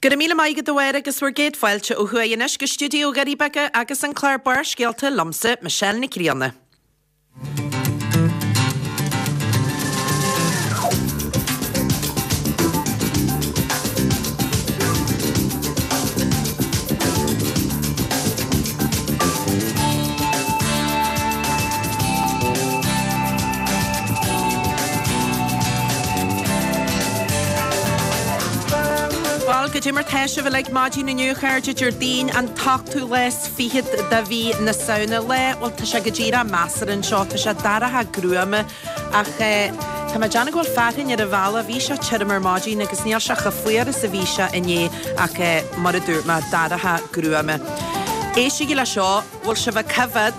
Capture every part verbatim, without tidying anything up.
Go raibh míle maith agat a Mháire agus bhur gcéad fáilte ó thuaidh anois go stiúideo Dhoirí Beaga agus an clár Barrscéalta liomsa, Michelle Nic Grianna. Bhuel, goidé mar tá sibh uilig maidin inniu, a chairde, Déardaoin an t-ochtú lá is fichead de mhí na Samhna. Lá, bhuel, tá sé go díreach measartha anseo, tá sé dorcha gruama ach eh, tá mé ag déanamh go bhfuil fearthainn ar an bhealach, bhí sé tirim ar maidin agus níl sé chomh fuar is a bhí sé inné ach eh, mar a dúirt mé, dorcha gruama. Éistigí le seo, bhfuil sibh ag coimhéad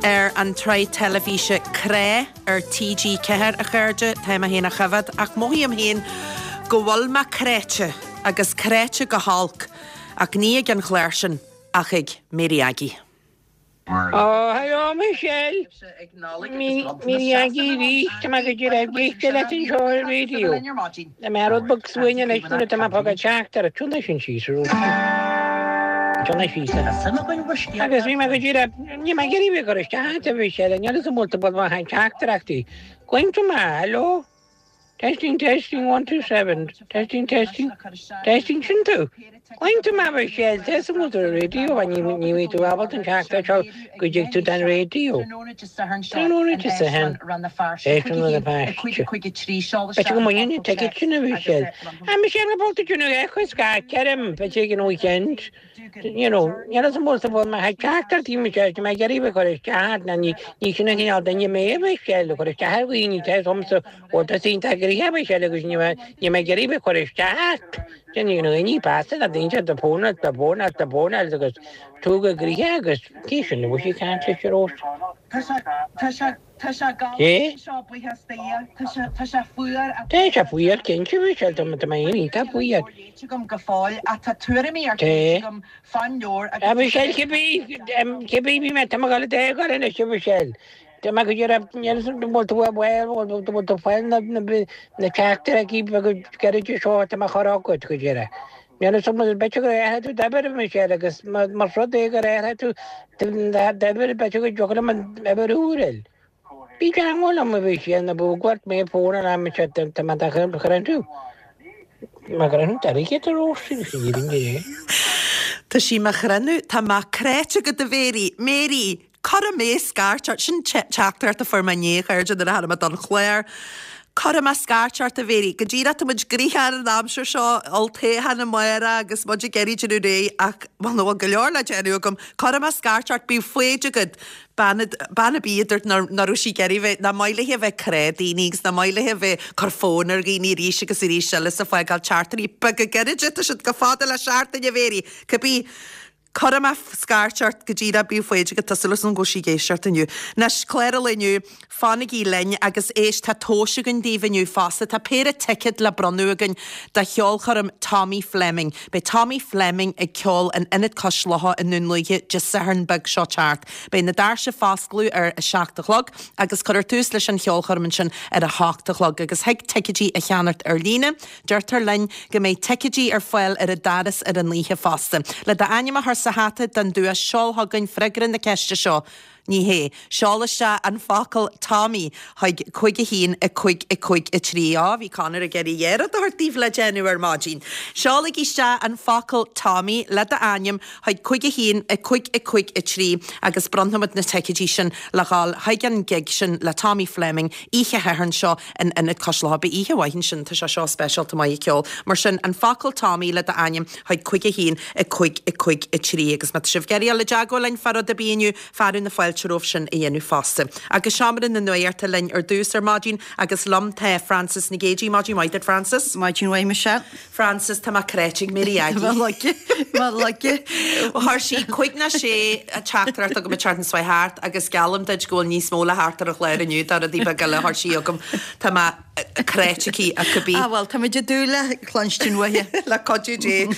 ar an tsraith teilifíse Crá ar T G ceathair, a chairde, tá mé féin á choimhéad ach mothaím féin go bhfuil mé cráite agus cráite go holc ach ní ag an chlár sin ach ag Mary Aggie. Ó, hello Michelle. Mary Aggie arís, tá mé go díreach ag éisteacht leat anseo ar an raidió. Tá mé rud beag suain anois nuair atá mé ag fágáil teachtaireacht. Tune sin síos arís. Tune síos. Agus bhí mé go díreach, ní mé ag iarraidh bheith ag cur isteach ort a Mhichelle, níl fhios agam an bhfuil tú ag fáil teachtaireachtaí. Glaonn tú mé, hello? Testing, testing, one, two, seven. Testing, testing, testing, sin tú. Glaonn tú mé a Mhichelle, tá fhios agam go bhfuil tú ar an raidió, ní ní bhí tú ábalta an teachtaireacht seo go dtig tú den raidió. Tráthnóna Dé Sathairn, éisteann le na páistí. B'fhéidir go mbaineann an ticket sin a Mhichelle. Ah, Michelle, go bhfuil tú déanamh echo scairt orm, b'fhéidir ag an weekend. You know, níl fhios agam an bhfuil tú mé ag teachtaireachtaí Michelle, tá mé ag iarraidh bheith ag cur isteach ort, ná ní ní sin an cineál duine mé a Mhichelle, ag cur isteach ar dhaoine, tá fhios agamsa bhfuil tusa iontach gnoitheach a Mhichelle agus ní ní mé ag iarraidh bheith ag cur isteach ort. Déanfaidh na daoine feasa na daoine do fónáil, do fónáil, do fónáil agus tú go gnoitheach agus cé sin a bhfuil sí ag caint leis ar ós? Tá sé, tá sé, tá sé galánta Cé? anseo, buíochas do Dhia. Tá sé, tá sé fuar ach Tá sé fuar cinnte a Mhichelle, tá tá mé iontach fuar. léite agam go fóill ach tá tuairimí ar Té. léite agam fán leabhar A agus Mhichelle, cibé, cibé bhí mé, tá mé ag dul a d'fhágáil anois a Mhichelle. Tá mé go deireadh, níl fhios agam an bhfuil tú bhuel, bhfuil tú bhfuil tú fáil na na na teachtaireachtaí beaga gairide seo atá mé a chur agat go deireadh. Níl fhios agam b'fhéidir gur athraigh tú d'uimhir a Mhichelle agus más rud é gur athraigh tú d'uimhir b'fhéidir go dtiocfadh liom an uimhir úr a fháil. Bí i dteagmháil liom a Mhichelle nó buail mé fón ar am seo tá mé do chruinniú. Má chruinniú d'airgead ar ós sin sin é. Tá sí mo chruinniú, tá mé cráite agat a Mhéirí. Mary, Cuirfidh mé scairt ort, sin teachtaireacht a fuair mé inné, a chairde, nuair a tháinig mé don chlár. Cuirfidh mé scairt ort, a Mhéirí. Go díreach, tá muid gnoitheach ar an aimsir seo, olltoghchán amárach agus muid ag iarraidh déanamh réidh ach, bhuel, nó bhfuil go leor le déanamh agam. Cuirfidh mé scairt ort, bíodh foighid agat. Bean, bean ar bith a dúirt nach raibh sí ag iarraidh bheith, nach maith léi a bheith ag crá daoine agus nach maith léi a bheith ag cur fóin ar dhaoine arís agus arís eile is ag fágáil teachtairí beaga gairide, tá siad chomh fada le seachtain, a Mhéirí. Cibé. Cuirfidh mé scairt ort go díreach, bíodh foighid agat, tá súil agam go bhfuil sí ag éisteacht inniu. Anois, clár an lae inniu, fanaigí linn agus éist, tá tomhais againn daoibh inniu fosta. Tá péire ticéad le bronnadh againn do cheolchoirm Tommy Fleming. Beidh Tommy Fleming ag ceol in Ionad Cois Locha i nDún Lúiche Dé Sathairn beag seo teacht. Beidh na doirse foscladh ar a seacht a chlog agus cuirfear tús leis an cheolchoirm ansin ar a hocht a chlog agus thig ticéidí a cheannacht ar líne. Deirtear linn go mbeidh ticéidí ar fáil ar an doras ar an oíche fosta. Le d'ainm a chur sa hata don duais seol chugainn freagra na ceiste seo. Ní hé. Seol isteach an focal Tommy chuig cúig a haon a cúig a cúig a trí. Á, bhí Conor ag iarraidh dhá rud a thabhairt daoibh le déanamh ar maidin. Seolaigí isteach an focal Tommy le d'ainm chuig cúig a haon a cúig a cúig a trí agus bronnfaimid na ticéidí sin le dhul chuig an gig sin le Tommy Fleming oíche Shathairn seo in Ionad Cois Locha. Beidh oíche mhaith ansin, tá sé seo speisialta maith ag ceol. Mar sin, an focal Tommy le d'ainm chuig cúig a haon a cúig a cúig a trí agus má tá sibh ag iarraidh dul i dteagmháil linn fá rud ar bith inniu, fearadh na fáilte romhaibh sin a dhéanamh fosta. Agus seomra na nuachta linn ar dtús ar maidin agus liom tá Frances Nic Géadaigh. Maidin mhaith duit Frances. Maidin mhaith Michelle. Frances, tá mé cráite ag Mary Aggie. Má laige, má laige. Chuir sí cúig ná sé teachtaireacht chugam an tseachtain seo thart agus geallaim duit go bhfuil níos mó le theacht ar an chlár inniu de rudaí beaga eile a chuir sí chugam. Tá mé cráite aici ach cibé. Ah bhuel, táimid ag dúil le cluinstin uaithi. Le cuidiú Dé.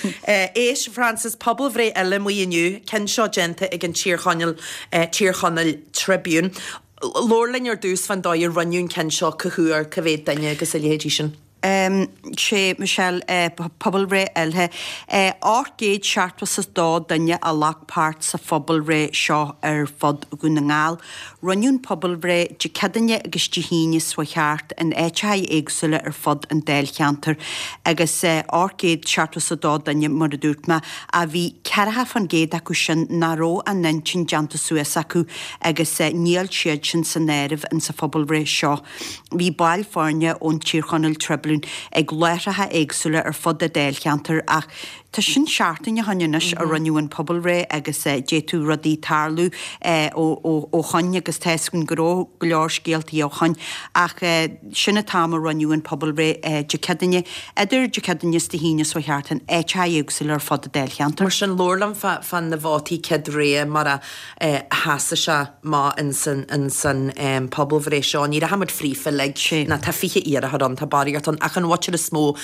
Éist, Frances, pobalbhreith eile amuigh inniu, ceann seo déanta ag an Tír Chonaill, Tír Chonaill Tribune. Labhair linn ar dtús fán dóigh a rinneadh an ceann seo, cá huair, cá mhéad duine agus a leithéidí sin. Sé Michelle pobalbhreith eile. Ocht gcéad seachtó is a dó duine a ghlac páirt sa phobalbhreith seo ar fud Dhún na nGall. Rinneadh an pobalbhreith Dé Céadaoine agus Dé hAoine seo thart in áiteacha éagsúla ar fud an dáilcheantair agus ocht gcéad seachtó is a dó duine mar a dúirt mé a bhí ceathracha faoin gcéad acu sin nach raibh a n-intinn déanta suas acu agus níl siad sin san áireamh in sa phobalbhreith seo. Bhí baill foirne ón Tír Chonaill Tribune ag láithreacha éagsúla ar fud an dáilcheantair ach tá sin seachtain ó shin anois a rinneadh an pobalbhreith agus d'fhéadfadh rudaí tarlú ó shoin agus tá a fhios againn go raibh go leor scéaltaí ó shoin ach sin an t-am a rinneadh an pobalbhreith Dé Céadaoine idir Dé Céadaoine is Dé hAoine seo thart in áiteacha éagsúla ar fud an dáilcheantair. Mar sin labhair liom fá na vótaí céad rogha mar a sheasaigh sé amach in san pobalbhreith seo. Ní rachaidh muid fríofa uilig ná tá fiche iarrthóir ann, tá barraíocht ann ach an mhuintir is mó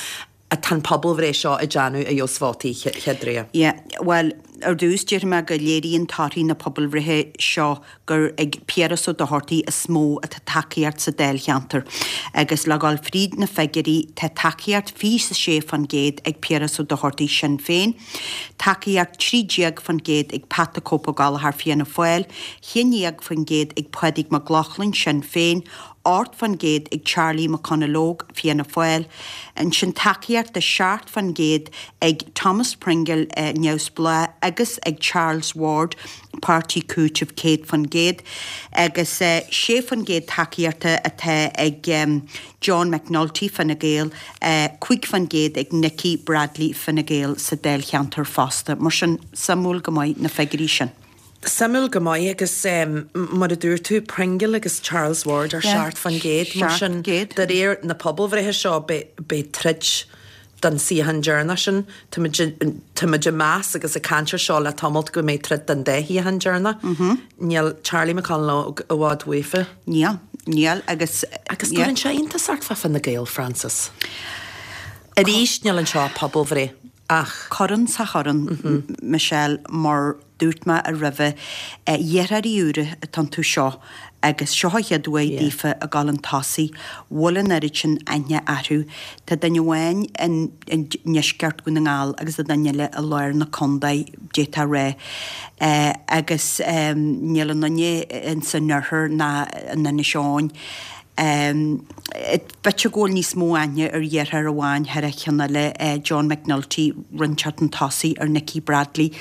atá an pobalbhreith seo ag déanamh a dheos vótaí chéad rogha. Yeah, well, ar dtús déarfaidh mé go léiríonn torthaí na pobalbhreithe seo gur ag Piaras Ó Dochartaigh is mó atá tacaíocht sa dáilcheantar. Agus le dhul fríd na figiúirí tá tacaíocht fiche is a sé faoin gcéad ag Piaras Ó Dochartaigh Sinn Féin, tacaíocht trí déag faoin gcéad ag Pat the Cope Ó Gallchóir Fianna Fáil, haon déag faoin gcéad ag Pádraig Mac Lochlainn Sinn Féin, ocht faoin gcéad ag Charlie McConalogue Fianna Fáil, ansin tacaíocht de seacht faoin gcéad ag Thomas Pringle Neamhspleách agus ag Charles Ward Páirtí Cúitimh céad faoin gcéad agus sé faoin gcéad tacaíochta atá ag John McNulty Fine Gael, cúig faoin gcéad ag Nikki Bradley Fine Gael sa dáilcheantar fosta. Mar sin suimiúil go maith na figiúirí sin. Suimiúil go maith agus mar a dúirt tú Pringle agus Charles Ward ar seacht faoin gcéad mar sin de réir na pobalbhreithe seo beidh troid don suíochán deireanach sin. Táimid ag meas agus ag caint air seo le tamalt go mbeidh troid don dá shuíochán deireanach. Níl Charlie McConalogue i bhfad uafa. Níl, níl agus. Agus cuireann sé iontas ort fá Fine Gael, Frances. Arís níl anseo pobalbhreith ach. Corn sa chorn, Michelle, mar dúirt mé roimhe, iarrthóirí úra atá iontu seo agus seo an chéad uair daofa a ghabháil chun tosaigh, bhfuil an oiread sin aithne orthu. Tá duine amháin i ndeisceart Dhún na nGall agus tá duine eile i lár na contae, d'fhéadfá a rá. Agus níl aon duine ins an oirthear ná in Inis Eoghain. B'fhéidir go bhfuil níos mó aithne ar iarrthóir amháin thar a cheann eile, John McNulty, roinnt chun tosaigh ar Nikki Bradley.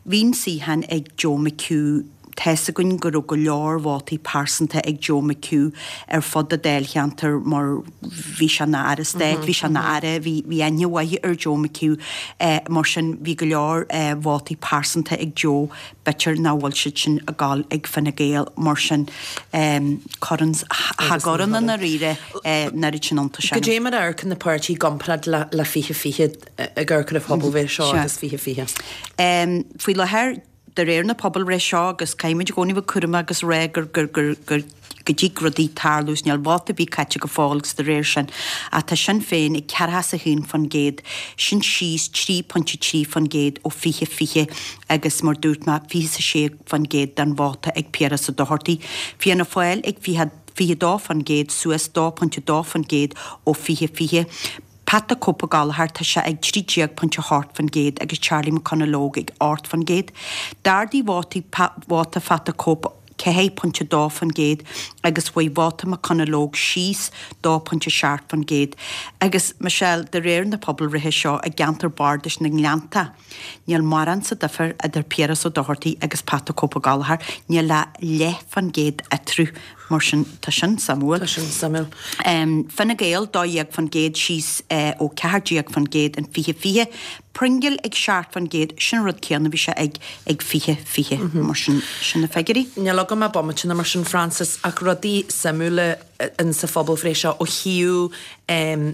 Bhí an suíochán ag Joe McHugh. Tá a fhios againn go raibh go leor vótaí pearsanta ag Joe McHugh ar fud an dáilcheantair mar bhí sé ina aire stáit, bhí sé ina aire, bhí bhí aithne mhaith ar Joe McHugh. Mar sin bhí go leor vótaí pearsanta ag Joe, b'fhéidir nach bhfuil siad sin ag gabháil ag Fine Gael mar sin corn cha gcuireann i ndáiríre an oiread sin iontais orm. Goidé mar a amharcann na páirtithe i gcomparáid le le fiche fiche ag amharc ar an phobalbhreith seo agus fiche fiche? Faoi láthair de réir na pobalbhreithe seo agus caithfimid i gcónaí bheith cúramach agus rá gur gur gur gur go dtig rudaí tarlú is níl vóta ar bith caite go fóill agus de réir sin ach tá Sinn Féin ag ceathracha is a haon faoin gcéad, sin síos trí pointe trí faoin gcéad ó fiche fiche agus mar dúirt mé fiche is a sé faoin gcéad den vóta ag Piaras Ó Dochartaigh. Fianna Fáil ag fiche fiche dó faoin gcéad suas dó pointe dó faoin gcéad ó fiche fiche. Pat the Cope Ó Gallchóir, tá sé ag trí déag pointe a hocht faoin gcéad agus Charlie McConalogue ag ocht faoin gcéad. D'ardaigh vótaí vóta Phat the Cope ceathair pointe dó faoin gcéad agus chuaigh vóta McConalogue síos dó pointe seacht faoin gcéad. Agus, Michelle, de réir na pobalbhreithe seo i gceantar bardais na nGleannta, níl mórán sa difear idir Piaras Ó Dochartaigh agus Pat the Cope Ó Gallchóir, níl ach leath faoin gcéad eatarthu. Mar sin, tá sin suimiúil. Tá sin suimiúil. Fine Gael, dó dhéag faoin gcéad síos ó ceathair déag faoin gcéad in fiche fiche. Pringle ag seacht faoin gcéad, sin an rud céanna a bhí sé ag ag fiche fiche. Mar sin, sin na figiúirí. Níl agam ach bomaite mar sin, Frances, ach rudaí suimiúla in sa phobalbhreith seo ó thaobh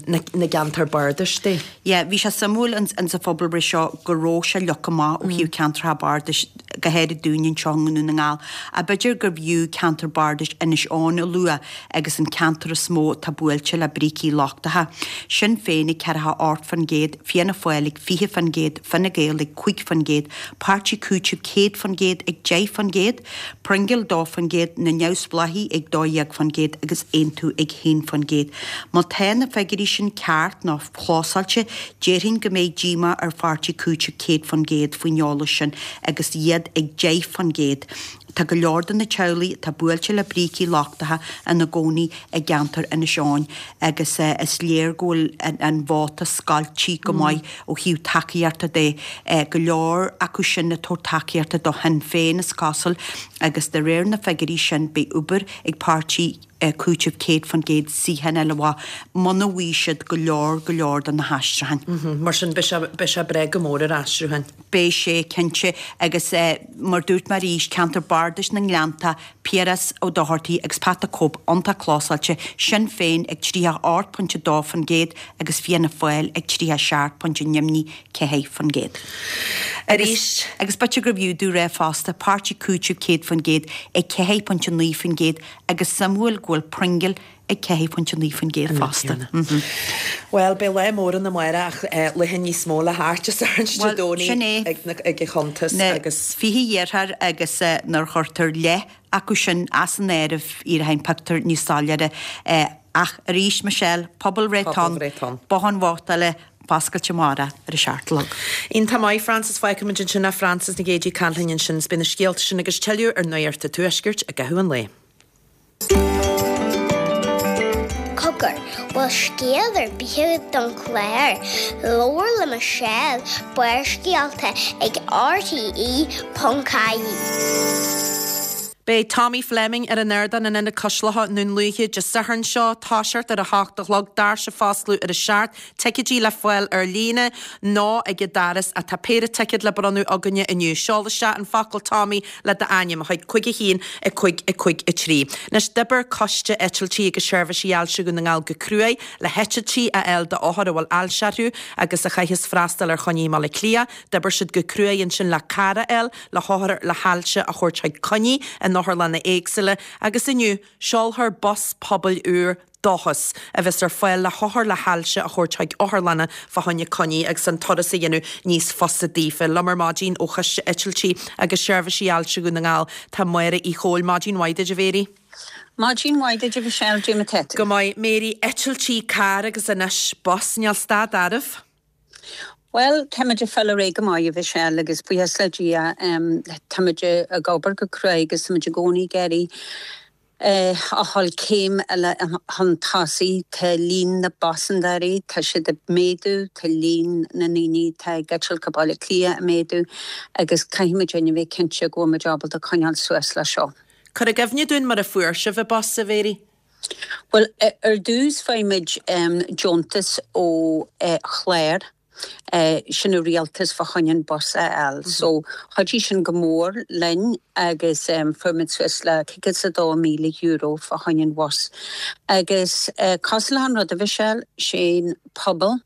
na na gceantar bardais de. Yeah, bhí sé suimiúil in in sa phobalbhreith seo go raibh sé leagtha amach ó thaobh ceantracha bardais, go háirid dúinne anseo i nDún na nGall. Ach b'fhéidir gurbh fhiú ceantar bardais Inis Eoghain a lua agus an ceantar is mó atá buailte le brící lochtacha. Sinn Féin ag ceathracha ocht faoin gcéad, Fianna Fáil ag fiche faoin gcéad, Fine Gael ag cúig faoin gcéad, Páirtí Cúitimh céad faoin gcéad ag deich faoin gcéad, Pringle dó faoin gcéad, na Neamhspleáchaigh ag dó dhéag faoin gcéad agus Aontú ag haon faoin gcéad. Má tá na na figiúirí sin ceart nó clósáilte, déarfainn go mbeidh díomá ar Pháirtí Cúitimh céad faoin gcéad faoin eolas sin agus iad ag deich faoin gcéad. Tá go leor de na teaghlaigh atá buailte le brící lochtacha ina gcónaí i gceantar Inis Eoghain agus is léir go bhfuil an vóta scoilte go maith ó thaobh tacaíochta de. Go leor acu sin ag tabhairt tacaíochta do Shinn Féin is cosúil agus de réir na figiúirí sin beidh obair ag páirtí Cúitimh céad faoin gcéad suíochán eile amach muna bhfaighidh siad go leor go leor de na haistriúcháin. Mar sin beidh sé beidh sé breá go mór ar aistriúcháin. Beidh sé, cinnte, agus mar dúirt mé arís, ceantar bardais na nGleannta, Piaras Ó Dochartaigh agus Pat the Cope iontach clósáilte, Sinn Féin ag tríocha ocht pointe dó faoin gcéad agus Fianna Fáil ag tríocha seacht pointe neamhní ceathair faoin gcéad. Arís. Agus b'fhéidir gurbh fhiú domh rá fosta, Páirtí Cúitimh céad faoin gcéad ag ceathair pointe naoi faoin gcéad agus suimiúil go bhfuil Pringle ag ceathair pointe naoi faoin gcéad fosta. Bhuel, beidh lá mór ann amárach ach laetha níos mó le theacht is arís Dé Bhuel, sin Domhnaigh é. ag na, ag an chuntas Na agus. fiche iarrthóir agus nuair a chuirtear leath acu sin as an áireamh éiríonn an pictiúr níos soiléire. Ach arís, Michelle, pobalbhreith atá ann, Pobalbhreith atá ann. Bothán vótála foscailte amárach ar a seacht a chlog. Iontach maith, Frances, fágfaimid ansin é Frances Nic Géadaigh ag caint linn ansin is beidh na scéalta sin agus tuilleadh ar Nuacht an Tuaiscirt i gcaitheamh an lae. Cogar, bhfuil scéal ar bith agat don chlár? Labhair le Michelle, Barrscéalta ag RTE ponc ie. Beidh Tommy Fleming ar an ardán in Ionad Cois Locha i nDún Lúiche Dé Sathairn seo, toiseacht ar a hocht a chlog, doirse ag foscladh ar a seacht, ticéidí le fáil ar líne nó ag an doras ach tá péire ticéad le bronnadh againne inniu. Seol isteach an focal Tommy le d'ainm chuig cúig a haon a cúig a cúig a trí. Anois d'oibir Coiste Eitiltí agus Seirbhísí Ailse Dhún na nGall go cruaidh le heitiltí a fháil d'othair a bhfuil ailse orthu agus a chaithfeas freastal ar choinní i mBaile Átha Cliath. D'oibir siad go cruaidh ansin le carr a fháil le hothair le hailse a thabhairt chuig coinní in otharlanna éagsúla agus inniu seolfar bus pobail úr Dóchas a bheas ar fáil le hothair le hailse a thabhairt chuig otharlanna fá choinne coinní agus an turas a dhéanamh níos fusa daofa. Liom ar maidin ó Choiste Eitiltí agus Seirbhísí Ailse Dhún na nGall tá Máire Uí Chomhaill maidin mhaith duit a Mhéirí. Maidin mhaith duit a Mhichelle Dé mar atá tú. Go maith Mary eitiltí carr agus anois bus níl stad ariamh. Well, táimid ag fáil ar aghaidh go maith a Mhichelle agus buíochas le Dia um, táimid ag obair go cruaidh agus táimid i gcónaí ag iarraidh eh, a dhul céim eile chun tosaigh tá líon na bpaisinéirí, tá siad ag méadú, tá líon na ndaoine tá ag eitilt go Baile Átha Cliath ag méadú agus caithfimid a bheith cinnte go bhfuil muid ábalta coinneáil suas le seo. Cuir i gcuimhne dúinn mar a fuair sibh an bus a Mhéirí. Well, ar dtús fuair muid um, deontas ó uh, chlár Uh, sin an rialtas fá choinne an bus a fháil. Mm -hmm. So chuidigh sin go mór linn agus um, fuair muid suas le cúig is a dó míle euro fá choinne an bhus. Agus uh, cosúil le an rud a Mhichelle sé'n pobal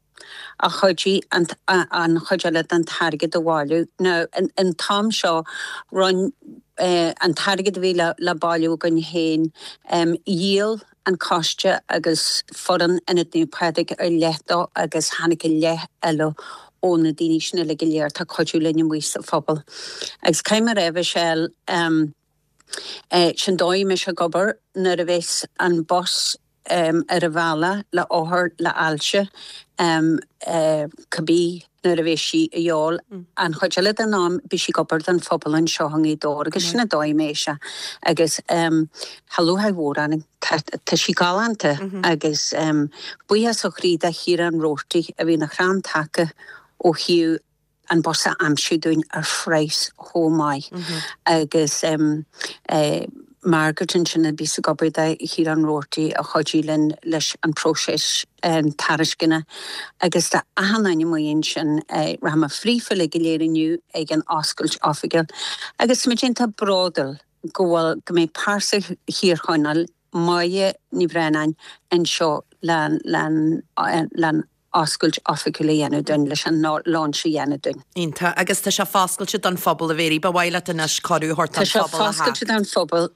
a chuidigh an, an chuid eile den t-airgead a bhailiú. Now, an, an t-am seo run uh, an t-airgead a bhí le, le bailiú againn féin um, dhíol an coiste agus foireann Ionad Naomh Pádraig ar leith dó agus tháinig a leith eile ó na daoine sin le go léir tá cuidiú linn amuigh sa phobal. Agus caithfidh mé a rá Michelle um, eh, sin dóigh mis a gobar nuair a bheas an bus um, ar a bhealach le othar le ailse um, uh, cibé nuair a bheas sí a dheol mm. an chuid eile den am beidh sí ag obair don phobal anseo i nGaoth Dobhair agus sin an dóigh mé se agus um, Tá mhór an tá sí galánta mm -hmm. agus um, buíochas ó chroí do Chiarán Roarty a bhí ina chrann taca ó thaobh an bus a aimsiú dúinn ar phraghas chomh maith mm -hmm. agus um, uh, Margaret ansin a bhí ag obair do Chiarán Roarty a chuidigh linn leis an próiseas um, tairisceana agus tá achan duine amuigh ansin uh, rachaidh mé fríofa le go léir inniu ag an oscailt oifigiúil. Agus muid iontach bródúil go bhfuil go mbeidh pearsa Thír Chonaill Máire Ní Bhraonáin anseo le le le oscailt oifigiúil a dhéanamh dúinn leis an launch a dhéanamh dúinn. Iontach agus tá sé foscailte don phobal a Mhéirí ba mhaith leat anois cuireadh a thabhairt Tá don sé phobal a foscailte don phobal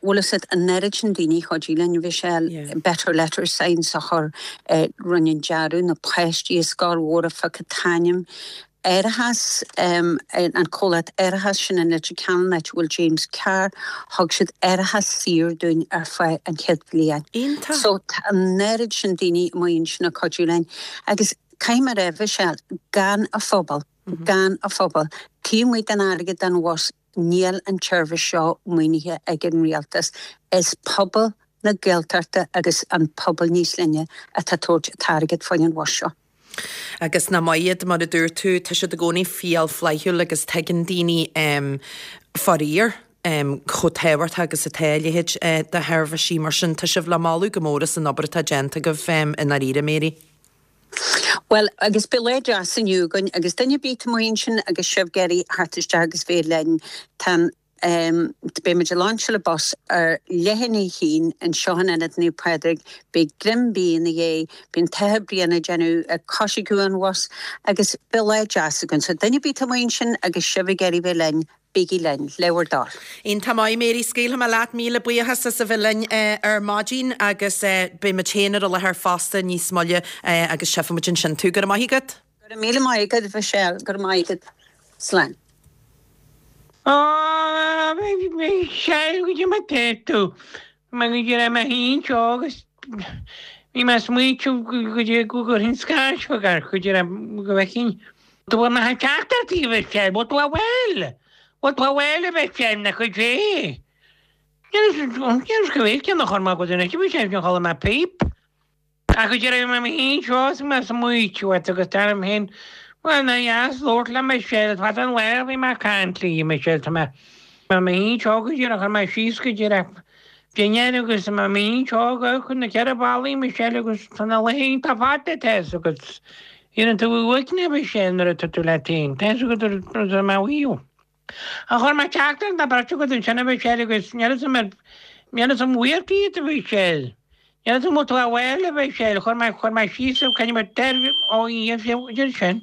bhfuil siad an oiread sin daoine chuidigh linn bhí sé better letter signs a chur rinne an dearadh na páistí is scoil mhór a phioc an t-ainm árachas, an comhlacht árachais sin in Leitir Ceanainn, áit a bhfuil James Carr, thug siad árachas saor dúinn ar feadh an chéad bhliain. Iontach. So tá an oiread sin daoine amuigh ansin ag cuidiú linn. Agus caithfidh mé a rá, Michelle, gan an phobal, gan an phobal, taobh amuigh den airgead don bhus, níl an tseirbhís seo maoinithe ag an rialtas. Is pobal na Gaeltachta agus an pobal níos leithne atá ag tabhairt an t-airgead fá choinne an bhus seo. Agus nach maith iad, mar a dúirt tú, tá siad i gcónaí fial flaithiúil agus tuigeann daoine faraor chomh tábhachtach agus atá a leithéid de sheirbhísí. Mar sin, tá sibh le moladh go mór as an obair atá déanta agaibh i ndáiríre, Mary. Bhuel, agus beidh lá deas inniu againn agus duine ar bith amuigh ansin agus sibh ag iarraidh theacht isteach agus bheith linn, tá an Beidh muid ag lainseáil an bus ar leath i ndiaidh a haon anseo in Ionad Naomh Pádraig. Beidh greim bídh ina dhiaidh, beidh an tAthair Brian ag déanamh ag coisriceadh an bhus agus beidh lá deas againn. So duine ar bith amuigh ansin agus sibh ag iarraidh bheith linn, bígí linn, le bhur dtoil. Iontach maith, Mary, scaoilfidh mé leat, míle buíochas as a bheith linn ar maidin agus beidh muid féin ar an láthair fosta níos moille agus tchífidh muid ansin tú. Go raibh maith agat. Go raibh míle maith agat, Michelle, go raibh maith agat. Slán. Ó, Michelle, goidé mar tá tú? Mar go raibh mé féin anseo agus bhí mé ag smaointiú goidé go gcuirfinn scairt chugat, goidé go bhfeicfinn. Tú bhfuil mé ag teacht ar tí, a Mhichelle, bhfuil tú bhfuil? Bhfuil tú bhfuil, a Mhichelle, na cuid é? Níl fhios go bhféadfainn ceann a chur amach agat anois, a Mhichelle, níor chuala mé píp. Ach go raibh mé féin anseo is mé ag smaoitiú ort agus dar liom féin, bhuel, nár dheas labhairt le Michelle, fada an lá a bhí mé ag caint léi, Michelle, tá mé mé féin anseo go díreach, chuir mé síos go díreach dinnéar agus tá mé féin anseo ag chun na ceithre ballaí, Michelle, agus tá na laethanta fada, tá fhios agat, iarrann tú uaigneas, Michelle, nuair atá tú leat féin, tá fhios agat, tá mé uaidh. Ach chuir mé teachtaireacht na beirte agat ansin, a Mhichelle, agus níl fhios agam ar, níl fhios agam bhfuair tú iad, a Mhichelle. Níl fhios agam bhfuil tú abhaile, a Mhichelle. Chuir mé, chuir mé síos, caithfidh mé deir, ó Dhia, deir sin.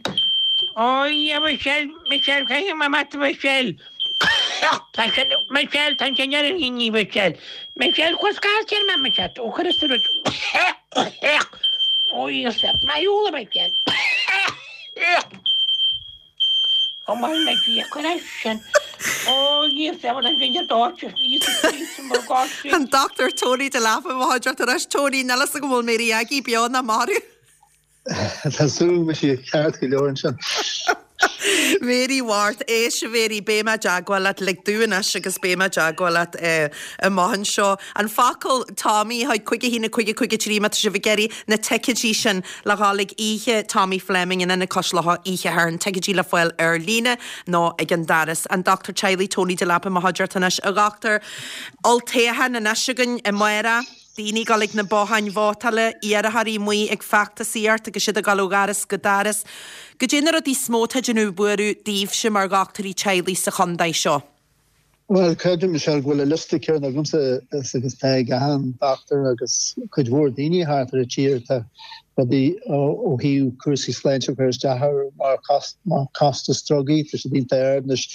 Ó Dhia, a Mhichelle, Michelle, caithfidh mé amach, a Mhichelle. Tá sin, Michelle, tá sin ar an a Mhichelle. Michelle, cuir scairt ar mé, Michelle. Ó, cuir is rud. Ó Dhia, maith thú, a Mhichelle. Ó maith le Dia, cuir é sin. Ó Dhia, seven an duine dóite, Íosa Críost mo gás. An Dochtúir Tony Delap i mo chuideachta anois. Tony, níl fhios agam an bhfuil Mary Aggie beo ná marbh. Tá súil agam go bhfuil sí ceart go leor ansin. Mary Mháirt, éist a Mhary, beidh mé i dteagmháil leat, lig domh anois agus beidh mé i dteagmháil leat amach anseo. An focal Tommy, haigh, cúig a haon a cúig a cúig a trí má tá sibh ag iarraidh na ticéidí sin le dhul ag oíche Tommy Fleming in Ionad Cois Locha oíche Shathairn, ticéidí le fáil ar líne nó ag an doras. An Dochtúir Teaghlaigh Tony Delap i mo chuideachta anois. A dhochtúir, olltoghchán anois againn amárach, daoine ag dul ag na botháin vótála, iarrthóirí amuigh ag feachtasaíocht agus siad ag dul ó dhoras go doras. Goidé na rudaí is mó atá ag déanamh buaireamh daoibhse mar dhochtúirí teaghlaigh sa chontae seo? Bhuel, creidim, Michelle, go bhfuil an liosta céanna agamsa is agus atá ag achan dochtúir agus cuid mhór daoine thart ar an tír. Tá rudaí ó thaobh cúrsaí sláinte ag cur isteach orthu mar costas drugaí, tá siad iontach ard anois.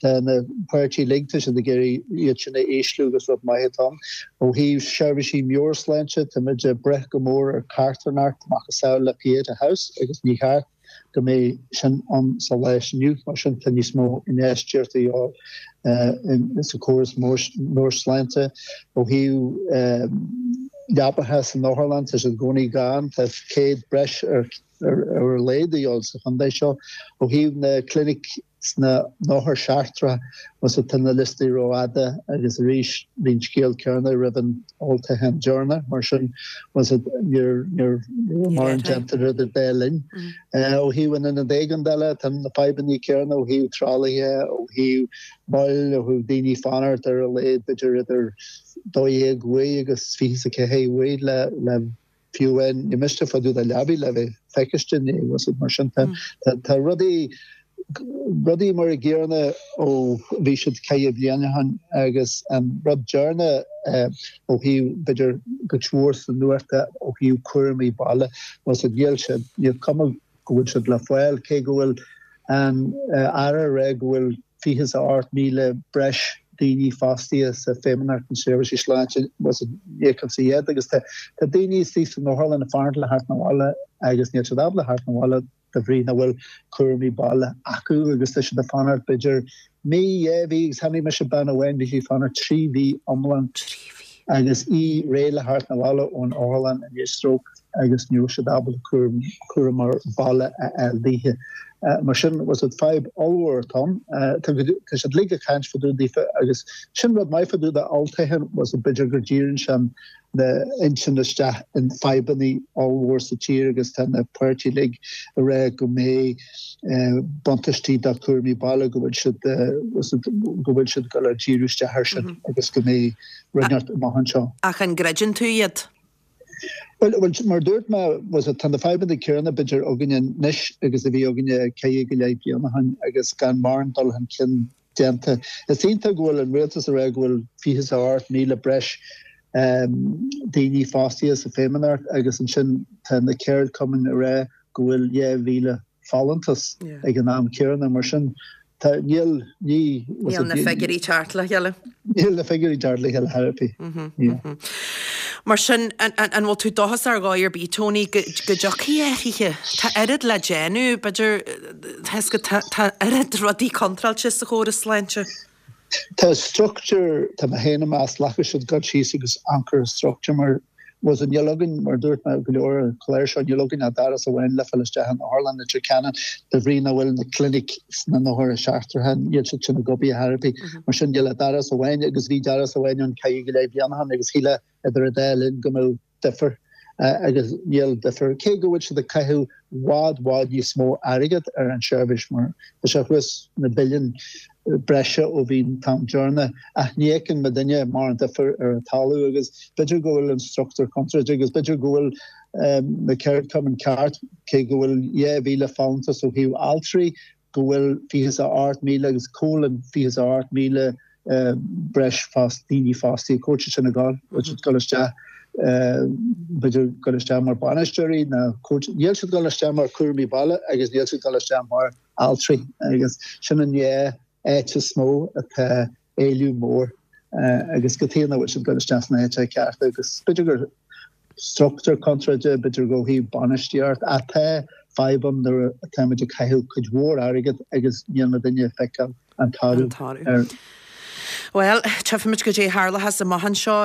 Tá na páirtithe uilig, tá siad ag iarraidh iad sin a ísliú agus rud maith atá ann. Ó thaobh seirbhísí meabhairshláinte, tá muid ag brath go mór ar carthanacht macasamhail le Pieta House agus ní cheart go mbeidh sin ann sa lá inniu. Mar sin tá níos mó infheistíochta a dhíobháil sa chóras meabhairshláinte. Ó thaobh leapacha san otharlann, tá siad i gcónaí gann, tá céad breis ar ar a laghad a dhíobháil sa chontae seo. Ó thaobh na clinic sna n-othar seachtrach, más ea, tá na liostaí rófhada agus arís bhí an scéal céanna roimh an olltoghchán deireanach, mar sin, más ea, níor raibh mórán déanta idir an dá linn. Ó thaobh an ionad éigeandála, tá na fadhbanna céanna ó thaobh tralaithe, ó thaobh moill, ó thaobh daoine fanacht ar a laghad b'fhéidir idir dó dhéag uair agus fiche is a ceathair uair le fiú amháin ní miste fá dtaobh de leabaidh le bheith feiciste ní was it mar sin tá tá rudaí rudaí mar a gcéanna ó bhí siad ceithre bliana ó shin agus an rud deireanach ó thaobh b'fhéidir cuid mhór sa nuacht ó thaobh cúramaí baile was it níl siad níl cuma go bhfuil siad le fáil, cé go bhfuil an Aire ag rá go bhfuil fiche is a ocht míle breis daoine fostaithe sa Feidhmeannacht na Seirbhísí Sláinte, was it ní fheicimse iad agus tá daoine istigh san otharlann ag fanacht le theacht 'na bhaile agus níl siad ábalta theacht 'na bhaile de bhrí nach bhfuil cúramaí baile acu agus tá siad ag fanacht b'fhéidir mí, dhá mhí agus chonaic mise bean amháin bhí sí ag fanacht trí mhí iomlán agus í réidh le theacht 'na bhaile ón otharlann i ndiaidh stróc agus ní raibh siad ábalta cúram cúramóir baile a fháil daoithe. Mar sin was it fadhb ollmhór atá ann. Tá tá siad uilig ag caint fá dtaobh daofa agus sin rud maith fá dtaobh de olltoghchán was it b'fhéidir go díreann sin na intinn isteach in fadhbanna ollmhór sa tír agus tá na páirtí uilig ag rá go mbeidh buntáistí do chúramaí baile go bhfuil siad was it go bhfuil siad ag dul a díriú isteach air sin agus go mbeidh rud inteacht amach anseo. Ach an gcreideann tú iad? Bhuel, bhuel, mar a dúirt mé, was it, tá na fadhbanna céanna b'fhéidir againne anois agus a bhí againne ceithre go leith bliain ó shin agus gan mórán dul chun cinn déanta. Is iontach go bhfuil an rialtas ag rá go bhfuil fiche is a hocht míle breis daoine fostaithe sa Feidhmeannacht agus ansin tá na ceardchumainn ag rá go bhfuil dhá mhíle folúntas ag an am céanna. Mar sin, tá, níl, ní, was Níl it, na figiúirí ag teacht le chéile. Níl na figiúirí ag teacht le chéile ar bith. Yeah. Mar sin, an, an, an bhfuil tú dóchasach ar dhóigh ar bith, Tony, go, go dtiocfaidh athruithe? Tá oiread le déanamh, b'fhéidir, tá, tá, tá oiread rudaí contráilte sa chóras sláinte. Tá struchtúr, tá mé féin ag meas, caithfidh siad dul síos agus amharc ar an struchtúr mar was it níl againn, mar a dúirt mé go leor ar an chlár seo, níl againn ach doras amháin le fáil isteach in otharlann Leitir Ceanainn de bhrí nach bhfuil na clinic sna n-othair seachtracha, níl siad sin ag obair ar chor ar bith. Mar sin níl ach doras amháin agus bhí doras amháin ann ceithre go leith bliain ó shin agus shílfeá idir an dá linn go mbeadh difear agus níl difear, cé go bhfuil siad ag caitheamh i bhfad bhfad níos mó airgead ar an seirbhís mar tá sé thuas na billiún breise ó bhí an t-am deireanach ach ní fheiceann muidinne mórán difear ar an talamh agus b'fhéidir go bhfuil an struchtúr contráilte agus b'fhéidir go bhfuil na ceardchumainn ceart cé go bhfuil dhá mhíle folúntas ó thaobh altraí go bhfuil fiche is a hocht míle agus cá bhfuil an fiche is a hocht míle breis fost daoine fostaithe cá bhfuil siad sin ag dul bhfuil siad ag dul isteach b'fhéidir dul isteach mar bainisteoirí nó níl siad ag dul isteach mar cúramaí baile agus níl siad ag dul isteach mar altraí agus sin an dhá áit is mó atá éileamh mór agus cad chuige nach bhfuil siad ag dul isteach sna háiteacha cearta agus b'fhéidir gur struchtúr contráilte, b'fhéidir ó thaobh bainistíocht, ach tá fadhb ann nuair atáimid ag caitheamh cuid mhór airgead agus níl muidinne ag feiceáil an toradh air. Bhuel, tchífimid goidé a tharlóchas amach anseo.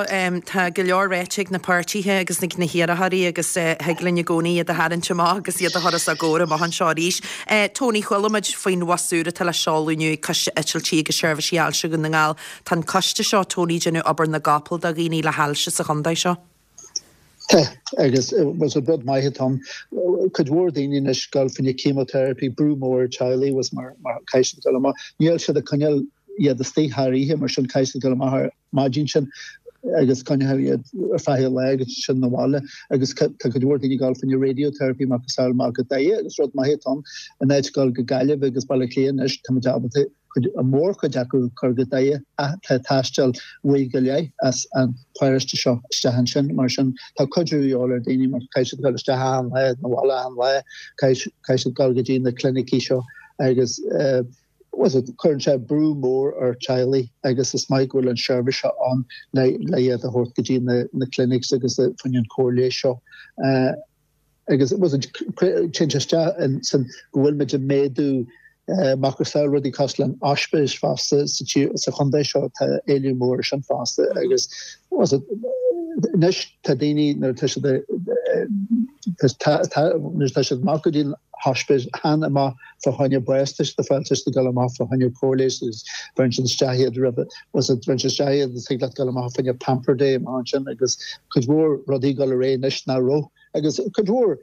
Tá go leor ráite ag na páirtithe agus ag na hiarrthóirí agus thig linn i gcónaí iad a tharraingt amach agus iad a chur os ár gcomhair amach anseo arís. Tony, chuala muid faoin bhus úr atá le seoladh inniu ag Coiste Eitiltí agus Seirbhísí Ailse Dhún na nGall. Tá an coiste seo, Tony, ag déanamh obair na gcapall do dhaoine le hailse sa chontae seo. Tá, agus was rud maith atá ann. Cuid mhór daoine anois ag dul fá choinne chemotherapy, brú mór ar teaghlaigh was mar mar caithfidh siad dul amach. Níl siad ag coinneáil iad istigh thar oíche mar sin caithfidh siad dul amach ar maidin sin agus coinneáil iad ar feadh an lae agus ansin 'na bhaile agus tá cuid mhór daoine ag dul fá choinne radiotherapy macasamhail amach go Doire agus rud maith atá ann in áit dul go Gaillimh agus Baile Átha Cliath anois táimid ábalta cuid mórchuid acu a chur go Doire ach tá taisteal uair go leith as an pharóiste seo isteach ansin mar sin tá cuidiú de dhíobháil ar daoine mar caithfidh siad dul isteach achan lá 'na bhaile achan lá caithfidh siad dul go dtí na clinicí seo agus was it cuireann sé brú mór ar teaghlaigh agus is maith go bhfuil an seirbhís seo ann le le iad a thabhairt go dtí na na clinics agus fá choinne an cóir leighis seo. Agus was it téann sé isteach in san go bhfuil muid ag méadú macasamhail rudaí cosúil le an ospís fosta sa tír sa chontae seo tá éileamh mór ar sin fosta agus was it anois tá daoine nuair atá siad nuair atá siad amach go dtí an hospís chan amach fá choinne bás tá siad ag fáil tá siad ag dul amach fá choinne cóir leighis agus bheireann siad isteach iad roimhe was it bheireann siad isteach iad thig leat dul amach fá choinne pamper day amach ansin agus cuid mhór rudaí ag dul ar aghaidh anois nach raibh Agus cuid mhór,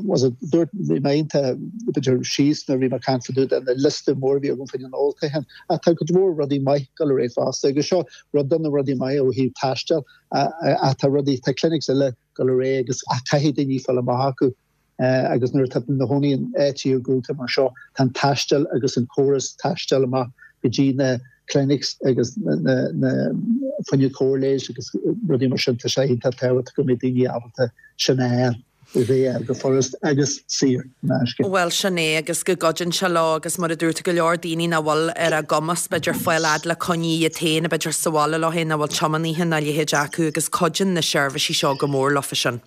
was it, dúirt, bhí mé iontach, b'fhéidir, síos nuair a bhí mé ag caint fá dtaobh de na liosta mór a bhí agam fá choinne an olltoghcháin. Ach tá cuid mhór rudaí maith ag dul ar aghaidh fosta. Agus seo rud de na rudaí maithe ó thaobh taistil, ach tá rudaí, tá clinics eile ag dul ar aghaidh agus ach caithfidh daoine fáil amach acu. Agus nuair atá na cónaí in áit iargúlta mar seo, tá an taisteal agus an córas taistil amach go dtí na clinics agus na na fá choinne cóir leighis agus rudaí mar sin, tá sé iontach tábhachtach go mbeidh daoine ábalta sin a fháil, a fháil go furast agus saor in aisce. Bhuel, sin é, agus go gcuidíonn sé leo agus mar a dúirt tú, go leor daoine nach bhfuil ar a gcumas b'fhéidir fáil fhad le coinní iad féin, b'fhéidir sa bhaile leo féin, nach bhfuil tiománaithe ná a leithéid acu agus cuidíonn na seirbhísí seo go mór leofa sin.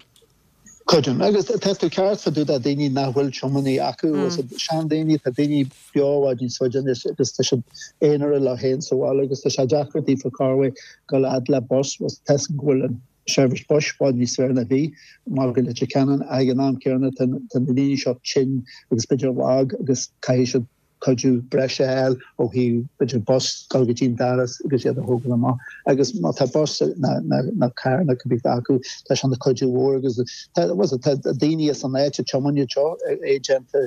Creidim, agus tá tú ceart fá dtaobh de daoine nach bhfuil tiománaí acu, seandaoine, tá daoine beo i bhfad níos faide anois agus tá siad aonarach leo féin sa bhaile agus tá sé deacair daofa corruair dul a fhad le bus, tá a fhios agam go bhfuil an seirbhís bus i bhfad níos fearr ná bhí mar go Leitir Ceanainn ag an am céanna tá na daoine seo tinn agus b'fhéidir lag agus caithfidh siad cuidiú breise a fháil ó thaobh b'fhéidir bus dul go dtí an doras agus iad a thógáil amach agus má tá bus nó carr nó cibé acu tá sé ina chuidiú mhór agus tá tá daoine as an áit ag tiomáint iad seo é déanta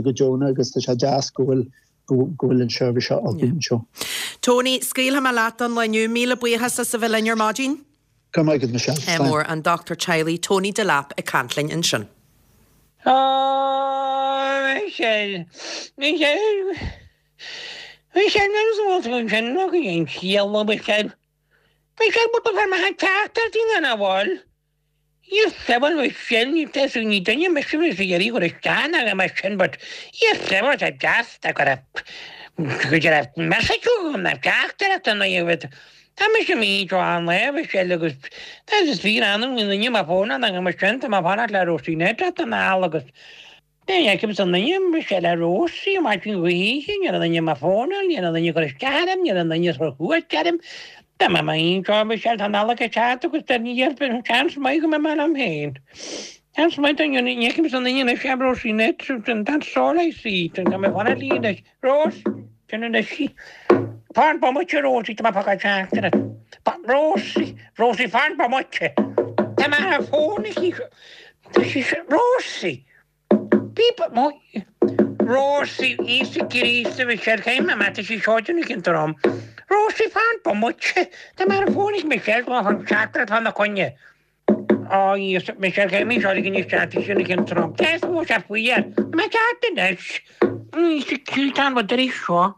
go deonach agus tá sé deas go bhfuil go bhfuil an seirbhís seo againn anseo. Tony, scaoilfidh mé leat don lá inniu. Míle buíochas as a bheith linn ar maidin. Go raibh maith agat Michelle. Ádh mór, an dochtúir teaghlaigh Tony Delap ag caint linn ansin. Ó, Michelle, Michelle, Michelle, nuair is bhfuil tú ansin nó go dhéan ciall, a Mhichelle. Michelle, but ba fearr maith teacht ar daoine ina bhfuil. Yes, bhuel Michelle, ní tá ní duine mise is ag iarraidh cur isteach ná mar sin, but yes, bhuel tá deas, tá go raibh go raibh message agam ná teachtaireacht an aoibh. Tá mise mí seo an lae Michelle agus tá is fíor annamh go nduine mar fón an mar sin tá mé ag fanacht le Róisín Ned an al agus Ní fheicim an duine Michelle le Róisín maidin ghaoithe, ní raibh duine mar fón ní raibh duine cur isteach orm, ní raibh duine cur chuairt orm. Tá mé mí seo Michelle tá an Nollaig ag teacht agus tá ní seans maith go mbeidh mé liom féin. Seans maith ní fheicim an duine anois é Róisín Ned that's all I see. Tá mé ag fanacht léi anois. Rós! Sin anois í. Fan bomaite, Rosie, tá mé ag fágáil teachtaireacht. Rosie, Rosie, fan bomaite. Tá mé ar an bhfón aici. Tá sí seo, Rosie! Bíp, mo, Rosie, Íosa Críost, a Mhichelle, caithfidh mé, tá sí seo ag déanamh cionn trom. Rosie, fan bomaite. Tá mé ar an bhfón ag Michelle, tá mé ag fágáil teachtaireacht fá na coinne. Á, Íosa, Michelle, caithfidh mé seo a ligean isteach, tá sí ag déanamh cionn trom. Cé is mó sé faoi air? Tá mé ag teacht anois. Íosa Críost, an rud ar é seo?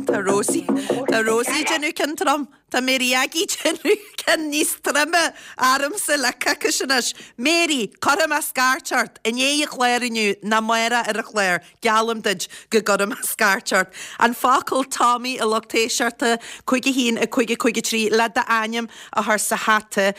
Tá Rosie Tá Rosie ag déanamh cionn trom. Tá Mary Aggie ag déanamh cionn níos troime ormsa le coicís anois. Mary, cuirfidh mé scairt ort. I ndiaidh an chláir inniu, nó amárach ar an chlár, geallaim duit go gcuirfidh mé scairt ort. An focal Tommy a lucht éisteachta, cúig a haon, a cúig a cúig a trí, le d'ainm a chur sa hata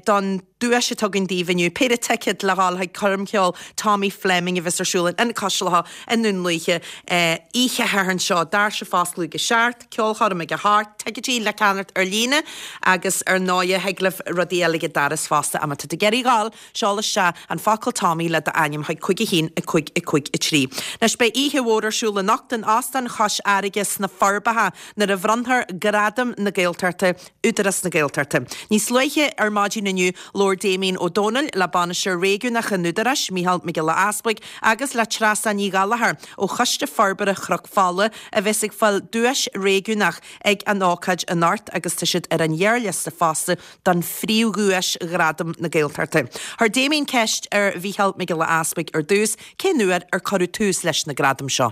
don duais atá againn daoibh inniu, péire ticéad le dhul chuig coirm cheoil Tommy Fleming a bheas ar siúl in Ionad Cois Locha i nDún Lúiche oíche Shathairn seo. Doirse ag foscladh ag a seacht, ceolchoirm ag a hocht, ticéidí le ceannacht ar líne agus ar ndóighe thig libh rudaí eile ag an doras fosta. Má tá tú ag iarraidh dhul, seol isteach an focal Tommy le d'ainm chuig cúig a haon, a cúig, a cúig, a trí. Anois beidh oíche mhór ar siúl anocht in Óstán Chois Fharraige sna Forbacha nuair a bhronnfar Gradaim na Gaeltachta, Údarás na Gaeltachta. Níos luaithe ar maidin inniu, labhair Damien Ó Dónaill le Bainisteoir Réigiúnach an Údaráis, Mícheál Mac Giolla Easbuig, agus le Treasa Ní Ghallchóir ó Choiste Forbartha Chnoc Fola a bheas ag fáil duais réigiúnach ag an ócáid anocht agus tá siad ar an ghearrliosta fosta don phríomhdhuais Ghradam na Gaeltachta. Chuir Damien ceist ar Mhícheál Mac Giolla Easbuig ar dtús cén uair ar cuireadh tús leis na gradaim seo.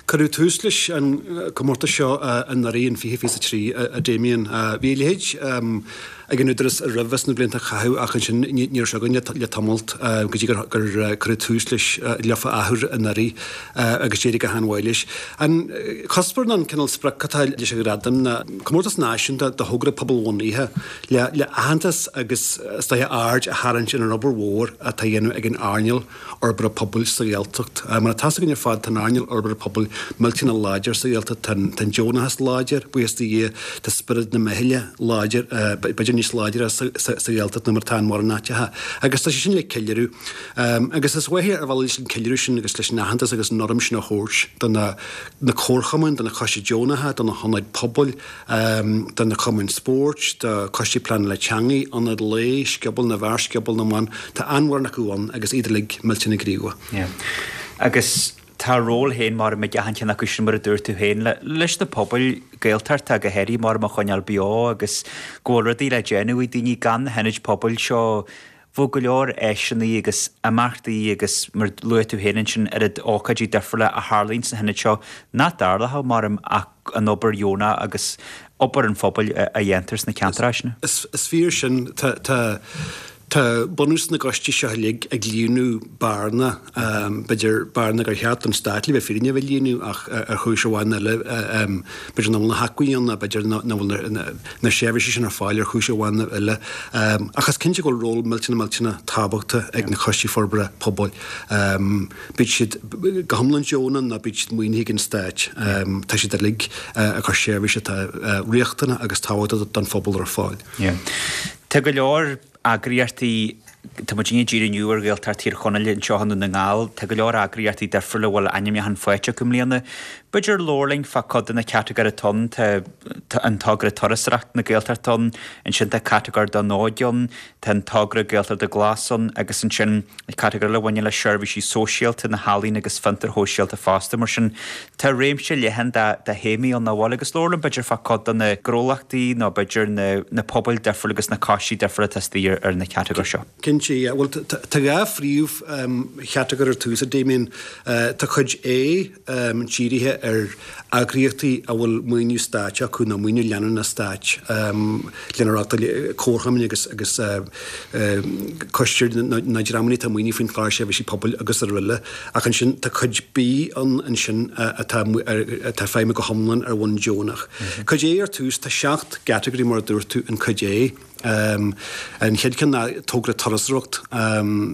Cuireadh tús leis an comórtas seo anuraidh in fiche fiche a trí, a Damien. Bhí a leithéid ag an Údarás roimhe sna blianta a caitheadh ach ansin ní raibh sé againn le tamalt go dtí gur cuireadh tús leis leofa athuair anuraidh agus d'éirigh go han-mhaith leis. An cuspóir nó an cineál sprioc atá leis an ghradam ná comórtas náisiúnta do thogra pobalbhunaithe le aitheantas agus is dóiche aird a tharraingt ar an obair mhór atá á dhéanamh ag an earnáil fhorbartha pobail sa Ghaeltacht. Mar atá a fhios againn ar fad tá an earnáil fhorbartha pobail millteanach láidir sa Ghaeltacht. Tá an deonachas láidir, buíochas do Dhia, tá spiorad na meithle láidir, b'fhéidir níos láidre sa Ghaeltacht ná mar atá in mórán áiteacha. Agus tá sé sin le ceiliúradh. Agus is mhaith ar mhaithe leis an ceiliúradh sin agus leis an aitheantas agus an urraim sin a thabhairt do na comharchumainn, do na coistí deonacha, do na hionaid pobail, do na cumainn spóirt, do choistí pleanála teanga, ionaid lae, Scioból na bhFear, Scioból na mBan, tá an-mhórán acu ann agus iad uilig millteanach gníomhach. Agus tá a ról féin mar ag achan cheann acu sin mar a dúirt tú féin, leis na pobail Gaeltachta go háirithe mar a choinneáil beo agus go bhfuil rudaí le déanamh ag daoine gan na hionaid pobail seo bheadh go leor áiseanna agus imeachtaí agus mar a luaigh tú féin ansin oiread ócáidí difriúla a tharlaíonn sna hionaid seo nach dtarlódh mar ach an obair dheonach agus obair an phobail a dhéantar sna ceantair sin. Is fíor sin. Tá Tá bunús na gcoistí seo uilig ag líonadh bearna, b'fhéidir bearna gur cheart don stát le bheith fírinne a bheith líonadh ach ar chúis amháin eile b'fhéidir nach bhfuil na hacmhainní ann nó b'fhéidir nach bhfuil na seirbhísí sin ar fáil ar chúis amháin nó eile. Ach is cinnte go bhfuil ról millteanach millteanach tábhachtach ag na coistí forbartha pobail. Bíodh siad go hiomlán deonach nó bíodh siad maoinithe ag an stát, tá siad uilig ag cur seirbhís atá riachtanach agus tábhachtach don phobal ar fáil. Tá go leor eagraíochtaí, tá muid ag díriú inniu ar Ghaeltacht Thír Chonaill anseo i nDún na nGall, tá go leor eagraíochtaí difriúla a bhfuil ainmniúchán faighte acu i mbliana. B'fhéidir labhair linn fá cuid de na catagóirí atá ann, tá an togra Turasóireacht na Gaeltachta ann, ansin tá catagóir don óige ann, tá an togra Gaeltachta Glas ann agus ansin catagóir eile a bhaineann le seirbhísí sóisialta, na healaíona agus fiontair shóisialta fosta. Mar sin tá réimse leathan de théamaí ann nach bhfuil agus labhair linn b'fhéidir fá cuid de na gnólachtaí nó b'fhéidir na pobail difriúla agus na coistí difriúla atá istigh ar na catagóirí seo. Cinnte, yeah. Bhuel tá dhá phríomh-chatagóir ar tús, a Damien. Tá cuid A dírithe ar eagraíochtaí a bhfuil maoiniú stáit acu nó maoiniú leanúnach stáit lena reáchtáil comharchumainn agus agus coistí nó dreamanna atá maoinithe faoin Chlár Seirbhísí Pobail agus araile. Ach ansin tá cuid B ann ansin atá atá feidhmiú go hiomlán ar bhonn deonach. Cuid A ar tús, tá seacht gcatagóirí mar a dúirt tú in cuid A. An chéad cheann ná togra turasóireacht,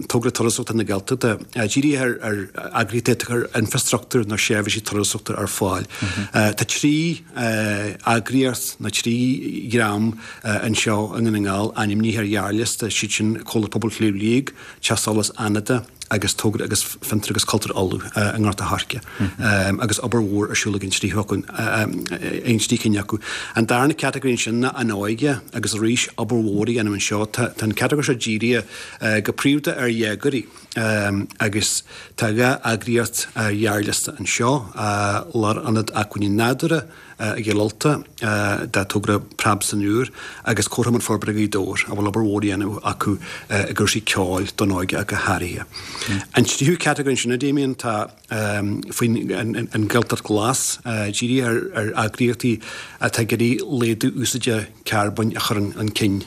togra turasóireachta na Gaeltachta, dírithe ar ar eagraíochtaí atá ag cur infreastruchtúr nó seirbhísí turasóireachta ar fáil. Tá trí eagraíocht nó trí dhream anseo i nDún na nGall ainmnithe ar ghearrliosta, siad sin Comhlacht Pobail Shliabh Liag, Teach Solais Fhánada agus Togra agus Fiontar agus Cultúr Uladh i nGort a' Choirce agus obair mhór ar siúl ag an trí acu, an trí cinn acu. An darna catagóir ansin ná an óige agus arís obair mhór á dhéanamh anseo. Tá an catagóir seo dírithe go príomhda ar dhéagóirí agus tá dhá eagraíocht ar ghearrliosta anseo, Lárionad Acmhainní Nádúrtha, i gCill Ulta, de togra Preab san Iúr agus Comharchumann Forbartha Ghaoth Dobhair, a bhfuil obair mhór á dhéanamh acu i gcúrsaí ceoil don óige ach go háirithe. An tríú catagóir ansin, a Damien, tá faoin an Ghaeltacht Ghlas, dírithe ar eagraíochtaí atá ag iarraidh laghdú úsáide carbóin a chur chun cinn,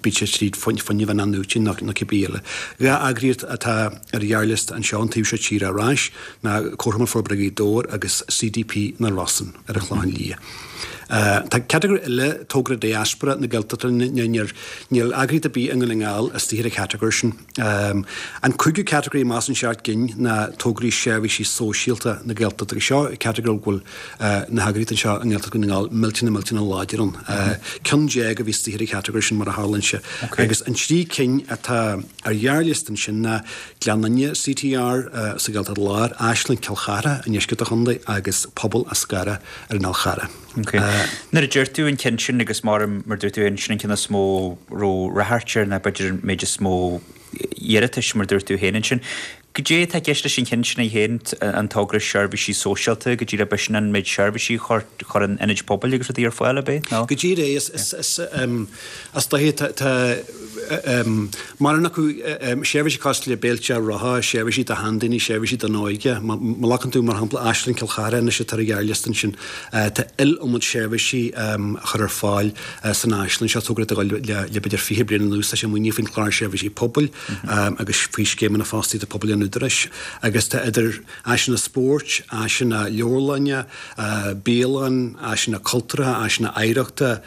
bíodh sé tríd fuinneamh in-athnuaite nó cibé eile. Dhá eagraíocht atá ar ghearrliosta anseo an taobh seo tíre ar ais ná Comharchumann Forbartha Ghaoth Dobhair agus CDP na Rosann ar an Chlochán Liath. Tá catagóir eile, Togra Diaspora na Gaeltachta, níl eagraíocht ar bith i nDún na nGall istigh ar an chatagóir sin. An cúigiú catagóir amach as an seacht gcinn ná Tograí Seirbhísí Sóisialta na Gaeltachta agus seo catagóir go bhfuil na heagraíochtaí anseo i nGaeltacht Dhún na nGall millteanach millteanach láidir ann. Ceann déag a bhí istigh ar an chatagóir sin mar a tharlaíonn sé. Agus an trí cinn atá ar ghearrliosta ansin ná Gleann Fhinne CTR sa Ghaeltacht Láir, Áislann Chill Chartha i ndeisceart an chontae agus Pobal Eascarrach ar an Fhál Charrach. Nuair a deir tú an ceann sin agus mar mar dúirt tú féin, sin an ceann is mó raibh ráchairt air nó b'fhéidir an méid is mó iarratais mar dúirt tú féin ansin. Goidé atá i gceist leis an cheann sin é féin, an togra seirbhísí sóisialta, go díreach b'shin an méid seirbhísí a chuireann ionaid pobail agus rudaí ar fáil, ab é? Nó? Go díreach, is, is, is, is dóiche tá, tá mórán acu seirbhísí cosúil le béilte rotha, seirbhísí do sheandaoine, seirbhísí don óige. Má ghlacann tú mar shampla Áislann Chill Chartha anois atá ar an ghearrliosta ansin, tá iliomad seirbhísí á chur ar fáil san áislann seo, togra atá ag dul le le b'fhéidir fiche bliain anuas, tá sé maoinithe faoin Chlár Seirbhísí Pobail agus faoi scéimeanna fostaíochta pobail an Údaráis agus tá idir áiseanna spóirt, áiseanna leabharlainne, bialann, áiseanna cultúrtha, áiseanna oidhreachta,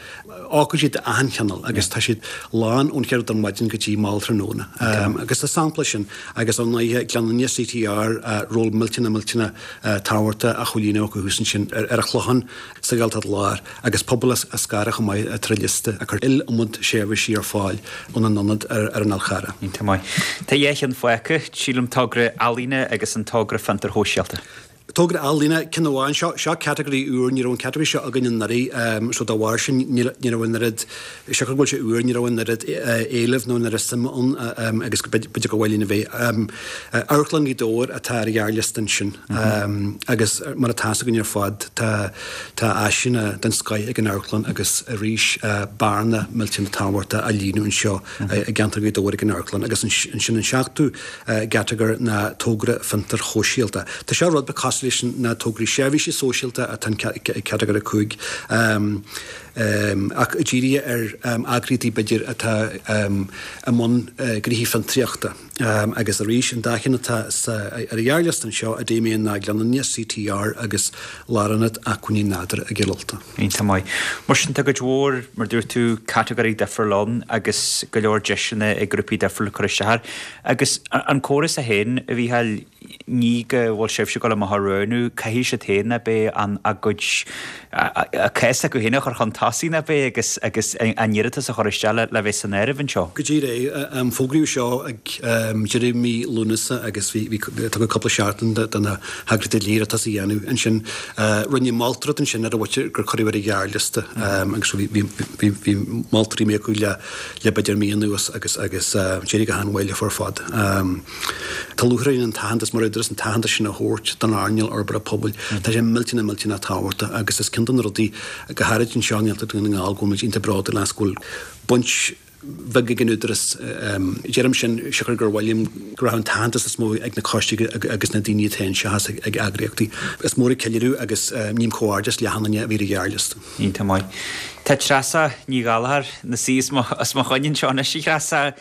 ócáidí d'achan chineál agus tá siad lán ón chéad rud ar maidin go dtí mall tráthnóna. Agus is sampla sin agus ar ndóighe Gleann Fhinne CTR, ról millteanach millteanach tábhachtach á chomhlíonadh acu thuas ansin ar an Chlochán sa Ghaeltacht Láir agus pobal Eascarrach chomh maith atá ar an liosta ag cur iliomad seirbhísí ar fáil óna n-ionad ar an Fhál Charrach. Iontach maith. Tá dhá cheann fágtha, sílim, togra ealaíne agus an togra fiontair shóisialta. Togra ealaíne, ceann amháin, seo, seo category úr, ní raibh an category seo againn anuraidh so dá bharr sin ní raibh an oiread, siocair go bhfuil sé úr, ní raibh an oiread éilimh nó an oiread suime ann agus b'fhéidir gur mhaith linn a bheith. Amharclann Ghaoth Dobhair atá ar an ghearrliosta ansin agus mar atá fhios againn ar fad tá tá áiseanna den scoith ag an amharclann agus arís bearna millteanach tábhachtach á líonadh anseo i gceantar Ghaoth Dobhair ag an amharclann agus ansin an seachtú gcatagóir ná togra fiontair shóisialta. Tá seo rud beag cosúil leis na tograí seirbhísí sóisialta atá i gcatagóir a cúig. Ach dírithe ar eagraíochtaí b'fhéidir atá i mbun gnoithí fiontraíochta. Agus arís, an dá cheann atá ar an ghearrliosta anseo, a Damien, ná Gleann Fhinne, CTR agus Lárionad Acmhainní Nádúrtha i gCill Ulta. Iontach maith. Mar sin, tá cuid mhór, mar dúirt tú, catagóirí difriúla ann agus go leor deiseanna ag grúpaí difriúla cur isteach air. Agus an córas é féin, a Mhícheáil, ní go bhfuil sibhse ag dul amach á roghnú, caithfidh siad féin ab é an a gcuid a cás acu féin a chur chun tosaigh ab é agus agus a n-iarratas a chur isteach le le bheith san áireamh anseo. Go díreach é. Fógraíodh seo ag deireadh mí Lúnasa agus bhí bhí tugadh cúpla seachtain do na heagraíochtaí le hiarratas a dhéanamh. Ansin rinneadh moltóireacht ansin ar an mhuintir gur cuireadh ar an ghearrliosta agus bhí bhí bhí bhí moltóirí acu le le b'fhéidir mí anuas agus agus d'éirigh go han-mhaith leo ar fad. Tá lúcháir orainn an t-aitheantas mar údarás an t-aitheantas sin a thabhairt don earnáil fhorbartha pobail. Tá sé millteanach millteanach tábhachtach agus is ceann de na rudaí go háirid anseo i nGaeltacht Dhún na nGall go bhfuil muid iontach bródúil as go bhfuil baint bheag ag an údarás. Deirim sin siocair gur mhaith liom go raibh an t-aitheantas is mó ag na coistí agus na daoine atá anseo seachas ag eagraíochtaí. Is mór an ceiliúradh agus ním comhghairdeas le achan duine a bhí ar an ghearrliosta. Iontach maith. Tá Treasa Ní Ghallchóir ina suí os mo choinne anseo anois, a Threasa.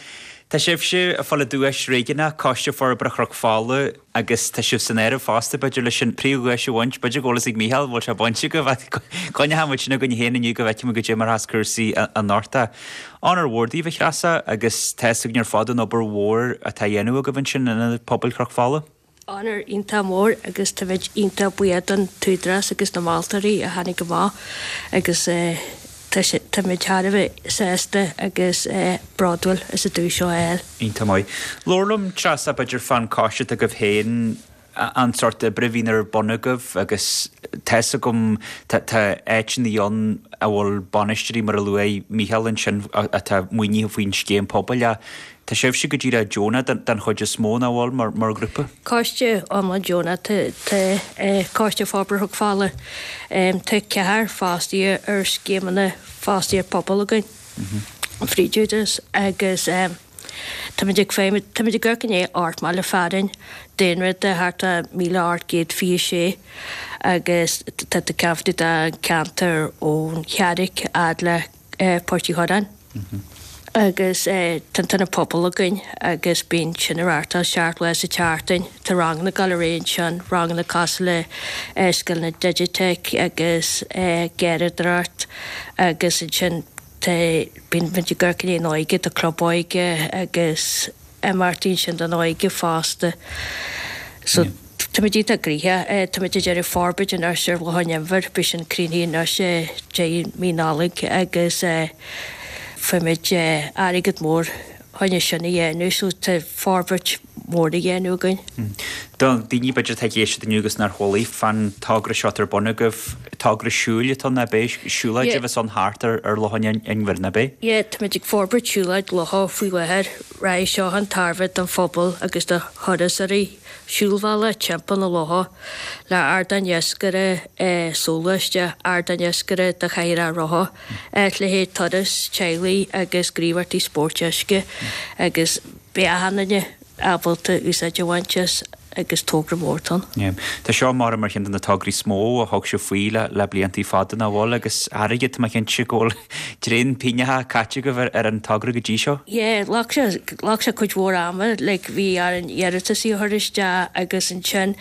Tá sibhse ag fáil an duais réigiúnach, Coiste Forbartha Chnoc Fola, agus tá sibh san áireamh fosta, b'fhéidir, leis an príomhdhuais a bhaint. B'fhéidir go bhfuil fhios ag Mícheál, bhfuil sé bainte agaibh, ach coinneoidh muid sin againn féin inniu go bhfeicfidh muid goidé mar atá cúrsaí anocht. Onóir mhór daoibh, a Threasa, agus tá fhios againn ar fad an obair mhór atá á dhéanamh agaibh ansin in Ionad Pobail Chnoc Fola. Onóir iontach mór agus táimid iontach buíoch don t-údarás agus na moltóirí a tháinig amach agus tá sé, táimid thar a bheith sásta agus bródúil as an duais seo a fháil. Iontach maith. Labhair liom, Treasa, b'fhéidir fán choiste atá agaibh féin, an sórt oibre a bhíonn ar bun agaibh agus tá fhios agam tá áiteanna ann a bhfuil bainisteoirí mar a luaigh Mícheál ansin atá maoinithe faoin scéim pobail ach tá sibhse go díreach deonach den chuid is mó, nach bhfuil, mar mar ghrúpa? Coiste iomlán deonach tá Coiste Forbartha Chnoc Fola. Tá ceathrar fostaithe ar scéimeanna fostaíocht pobail againn fríd Údarás agus Táimid ag feidhmiú, táimid ag amharc i ndiaidh ocht mbaile fearainn, daonra de thart ar míle ocht gcéad fiche sé agus tá tú ceantar den cheantar ón Charraic fhad le Port Uí Churráin agus tá an t-ionad pobail againn agus bíonn sin ag reáchtáil seacht lá sa tseachtain. Tá ranganna ag dul ar aghaidh ansin, ranganna cosúil le scileanna digiteach agus garraíodóireacht agus ansin Tá, bíonn muid ag amharc i ndiaidh an óige, tá club óige agus imeachtaí ansin don óige fosta. So táimid iontach gnoitheach. Táimid ag déanamh forbairt anois ar Loch an Inbhir, beidh sin críochnaithe anois deireadh mí Nollag agus fuair muid airgead mór chun é sin a dhéanamh so tá forbairt mhór á dhéanamh againn. Do dhaoine b'fhéidir atá ag éisteacht inniu agus nár chuala fán togra seo atá ar bun agaibh, togra siúil atá ann ab é? Siúlóid a bheas ann thart ar Loch an Inbhir, ab é? Yeah, táimid ag forbairt siúlóid locha faoi láthair. Rachaidh seo chun tairbhe don phobal agus do thurasóirí. Siúlbhealach timpeall na locha le ardán iascaire soghluaiste, ardán iascaire do chathaoireacha rotha, áit le haghaidh turas teaghlaigh agus gníomhaíochtaí spóirt uisce agus beidh achan duine ábalta úsáid a bhaint as agus togra mór atá ann. Tá seo mar mar cheann de na tograí is mó a thug sibh faoi le le bliantaí fada nach bhfuil agus airgead tá mé cinnte go bhfuil tréan pingneacha caite agaibh ar ar an togra go dtí seo. Yeah, ghlac sé ghlac sé cuid mhór ama like bhí orainn iarratasaí a chur isteach agus ansin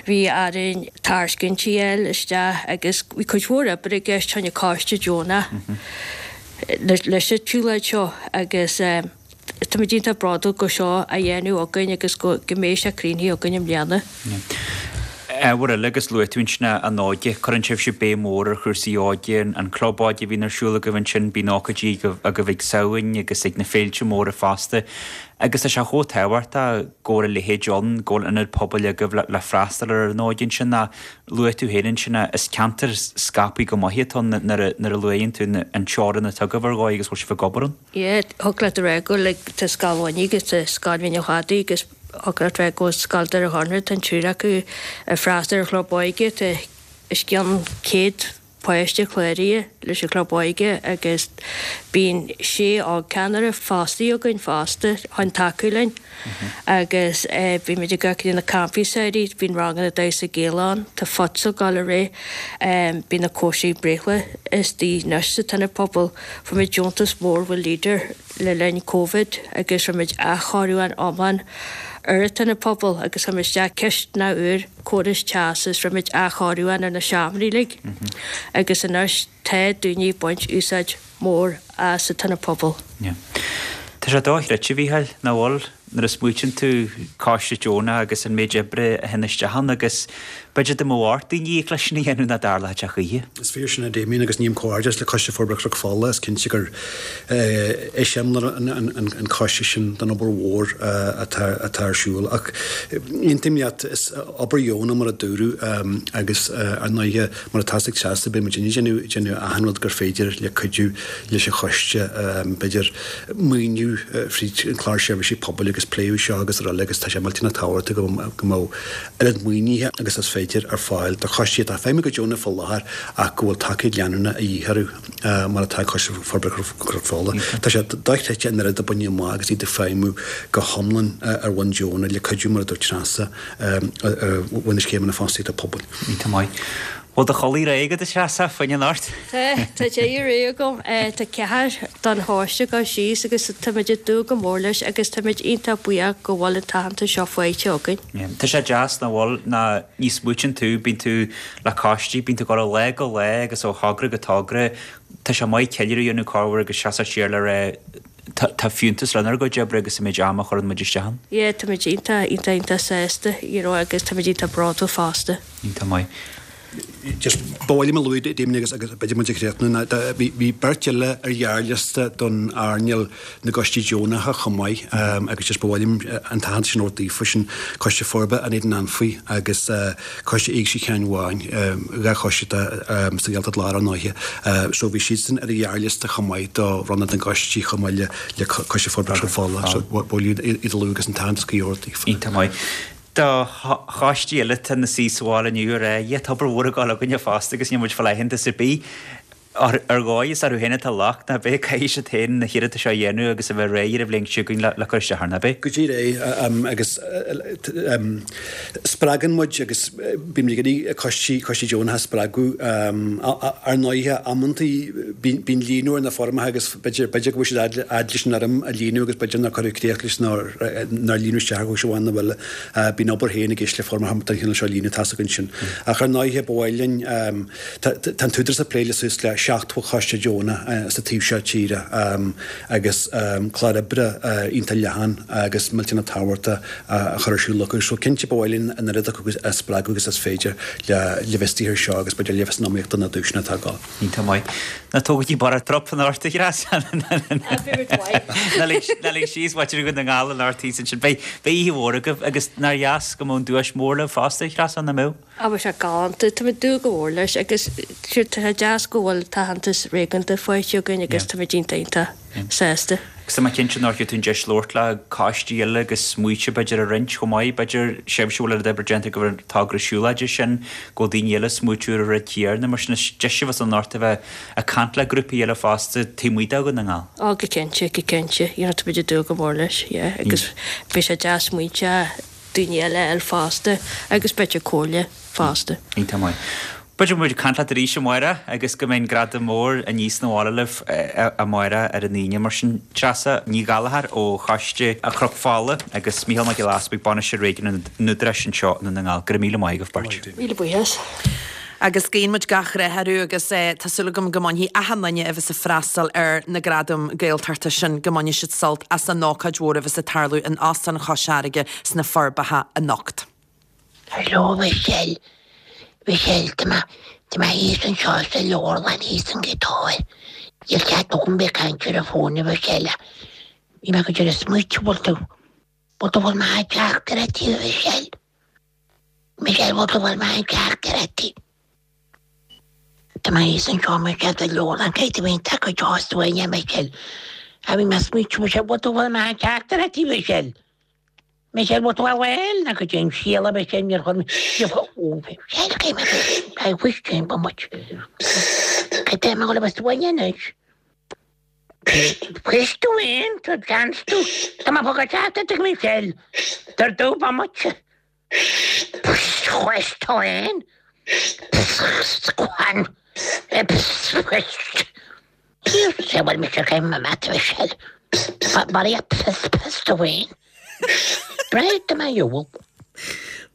bhí orainn tairiscintí a fháil isteach agus bhí cuid mhór oibre i gceist choinne coiste deonach leis an tsiúlóid seo agus eh Táimid iontach bródúil go bhfuil seo á dhéanamh againn agus go mbeidh sé críochnaithe againn i mbliana. Ábhar eile agus luaigh tú ansin an óige, cuireann sibhse béim mhór ar chúrsaí óige, an club óige a bhíonn ar siúl agaibh ansin, bíonn ócáidí agaibh ag Samhain agus ag na féilte móra fosta agus tá sé chomh tábhachtach go bhfuil a leithéid ann, go bhfuil ionad pobail agaibh le freastal ar an óige ansin. Luaigh tú féin ansin, is ceantar scaipthe go maith atá ann nuair a luaigheann tú an teorainn atá agaibh ar dhóigh agus bhfuil sibh ag obair ann. Yeah, thig leat a rá go like tá Scoil Mhainigh agus tá Scoil Mhín an Chladaigh agus thig leat a rá go bhfuil Scoil Doire Chonaire, tá an triúr acu ag freastal ar chlub óige, tá os cionn céad páiste cláraithe leis an Chlub Óige agus bíonn sé ógcheannaire fostaithe againn fosta chun tacú linn agus bímid ag dul go dtí na campaí samhraidh, bíonn ranganna damhsa Gaelach ann, tá futsal ag dul ar aghaidh, bíonn na cóisirí breithlá istigh anois sa t-ionad pobail. Fuair muid deontas mór ó Leader le linn Covid agus rinne muid athchóiriúchán iomlán ar an t-ionad pobail agus chuir muid isteach cistineach úr, córas teasa is rinne muid athchóiriúchán ar na seomraí uilig agus anois tá daoine ag baint úsáid mór as an t-ionad pobail. Tá sé dochreidte, a Mhícheáil, nach bhfuil, nuair a smaoitíonn tú coiste deonach agus an méid oibre a théann isteach ann agus b'fhéidir dá mbeadh ort daoine íoc leis sin a dhéanamh nach dtarlódh sé choíche. Is fíor sin a Damien agus ním comhghairdeas le Coiste Forbartha Chnoc Fola, is cinnte gur eiseamláir an coiste sin den obair mhór atá atá ar siúl. Ach aontaím leat, is obair dheonach mar a dúradh agus ar ndóighe mar atá ag Treasa beidh muid ag déanamh achan rud gur féidir le cuidiú leis an choiste, b'fhéidir maoiniú fríd an clár seirbhísí pobail agus pléadh seo agus araile agus tá sé millteanach tábhachtach go mbeadh oiread maoinithe agus is féidir ar fáil do choistí atá ag feidhmiú go deonach faoi láthair ach go bhfuil tacaíocht leanúnach a dhíth orthu mar atá ag Coiste Forbartha Chnoc Fola. Tá sé dochreidte an oiread a baineadh amach agus iad ag feidhmiú go hiomlán ar bhonn deonach le cuidiú mar a dúirt Treasa ar bhonn na scéimeanna fostaíochta pobail. Iontach maith. Bhfuil do chodladh réidh agat a Threasa, fá choinne anocht? Tá, tá deireadh réidh agam. Tá ceathair don choiste ag dul síos agus táimid ag dúil go mór leis agus táimid iontach buíoch go bhfuil an t-aitheantas seo faighte againn. Tá sé deas nach bhfuil, ná ní smaoitíonn tú, bíonn tú le coistí, bíonn tú ag dul ó lá go lá agus ó thogra go togra, tá sé maith ceiliúradh a dhéanamh corruair agus seasamh siar le rá tá fiúntas lenár gcuid oibre agus an méid ama a chuireann muid isteach ann. Yeah, táimid iontach, iontach, iontach sásta, you know, agus táimid iontach bródúil fosta. Iontach maith. Just ba mhaith liom a lua, Damien, agus agus b'fhéidir muid ag críochnú, ná bhí bhí beirt eile ar ghearrliosta don earnáil na gcoistí deonacha chomh maith agus just ba mhaith liom an t-aitheantas sin a thabhairt daofa, sin Coiste Forbartha an Éadain Anfaigh agus Coiste Éigse Sheáin Bháin, dhá choiste atá sa Ghaeltacht Láir ar ndóighe. So bhí siadsan ar an ghearrliosta chomh maith do bhronnadh na gcoistí chomh maith le le Coiste Forbartha Chnoc Fola. So ba mhaith liom iad a lua agus an t-aitheantas cuí a thabhairt daofa. Iontach maith. Do choistí eile atá ina suí sa bhaile inniu ag rá, yeah, tá obair mhór ag dul againne fosta agus níl muid ag fáil aitheantas ar bith. Ar dhóigh is orthu féin atá locht, nach b'é? Caithfidh siad féin na hiarrachtaí seo a dhéanamh agus a bheith réidh ar an bhliain seo chugainn le cur isteach air, nach b'é? Go díreach é, agus spreagann muid agus bímid ag iarraidh coistí, coistí deonacha a spreagadh. Ar ndóighe, amantaí bíonn líonadh ar na foirmeacha agus b'fhéidir, b'fhéidir go bhfuil siad fhad leis an fhoirm a líonadh agus b'fhéidir nár cuireadh críoch leis nó nár líonadh isteach ar chúis amháin nó eile. Bíonn obair féin i gceist le foirmeacha den chineál seo a líonadh, tá's againn sin. Ach ar ndóighe, ba mhaith linn, tá an tÚdarás ag plé le suas le seachtó choiste deonach sa taobh seo tíre agus clár oibre iontach leathan agus millteanach tábhachtach á chur ar siúl acu. So cinnte ba mhaith linn an oiread acu a spreagadh agus is féidir le bheith istigh air seo agus b'fhéidir le bheith san iomaíocht do na duaiseanna atá ag dul. Iontach maith. Ná tógaigí borradh trup anocht a Threasa. Ná lig síos mhuintir Dhún na nGall anocht thíos ansin. Beidh oíche mhór agaibh agus nár dheas go mbeadh an duais mór libh fosta a Threasa, nach mbeadh? Á bheadh sé galánta. Tá muid ag dúil go mór leis agus sure tá sé deas go bhfuil t-aitheantas réigiúnda faighte againn agus tá muid iontach iontach sásta. Agus tá mé cinnte nár thuig tú an deis labhairt le coistí eile agus smaointe b'fhéidir a roinnt chomh maith, b'fhéidir sibhse a bhfuil oiread oibre déanta go bhfuil an togra siúlóide sin, go bhfuil daoine eile ag smaoitiú ar an rud céanna, mar sin is deis a bheas ann anocht a bheith ag caint le grúpaí eile fosta taobh amuigh de Dhún na nGall. Á go cinnte, go cinnte, you know tá muid ag dúil go mór leis, yeah, agus beidh sé deas smaointe daoine eile a fháil fosta agus b'fhéidir comhairle fosta. Iontach maith. B'fhéidir go mbeidh muid ag caint leat arís amárach agus go mbeidh an gradam mór aníos na bhaile libh amárach ar an Aoine. Mar sin, Treasa Ní Ghallchóir ó Choiste Chnoc Fola agus Mícheál Mac Giolla Easbuig, Bainisteoir Réigiúnach an Údaráis anseo i nDún na nGall. Go raibh míle maith agaibh beirt. Míle buíochas. Agus guíonn muid gach rath orthu agus tá súil agam go mbainfidh achan duine a bheas ag freastal ar na Gradaim Gaeltachta sin, go mbainfidh siad sult as an ócáid mhór a bheas ag tarlú in Óstán Chois Fharraige sna Forbacha anocht. Hello Michelle, Michelle, tá mé, tá mé thíos anseo sa leabharlann thíos an Ghaoth Dobhair. Níl cead agam bheith ag caint ar an bhfón a Mhichelle. Bhí mé go deireadh smaoitiú bhfuil tú, bhfuil tú bhfuil mé ag teacht ar an tí a Mhichelle. Michelle, bhfuil tú bhfuil mé ag teacht ar an tí. Tá mé thíos anseo Michelle sa leabharlann caithfidh tú bheith iontach go deo suaimhneach Michelle. A bhí mé ag smaoitiú Michelle, bhfuil tú bhfuil mé ag teacht ar an tí Michelle. Michelle bhfuil tú bhfuil na go dtéim síla be sin ar chun I wish came much. Go dté go bh bhaine. Fuis tú aon tú gan tú Tá má fá teata ag Michelle Tar dú ba much. Chuis tú aon Quan Sé bhfuil me céim mat Michelle. Mar pis tú aon. Breid mé jowl.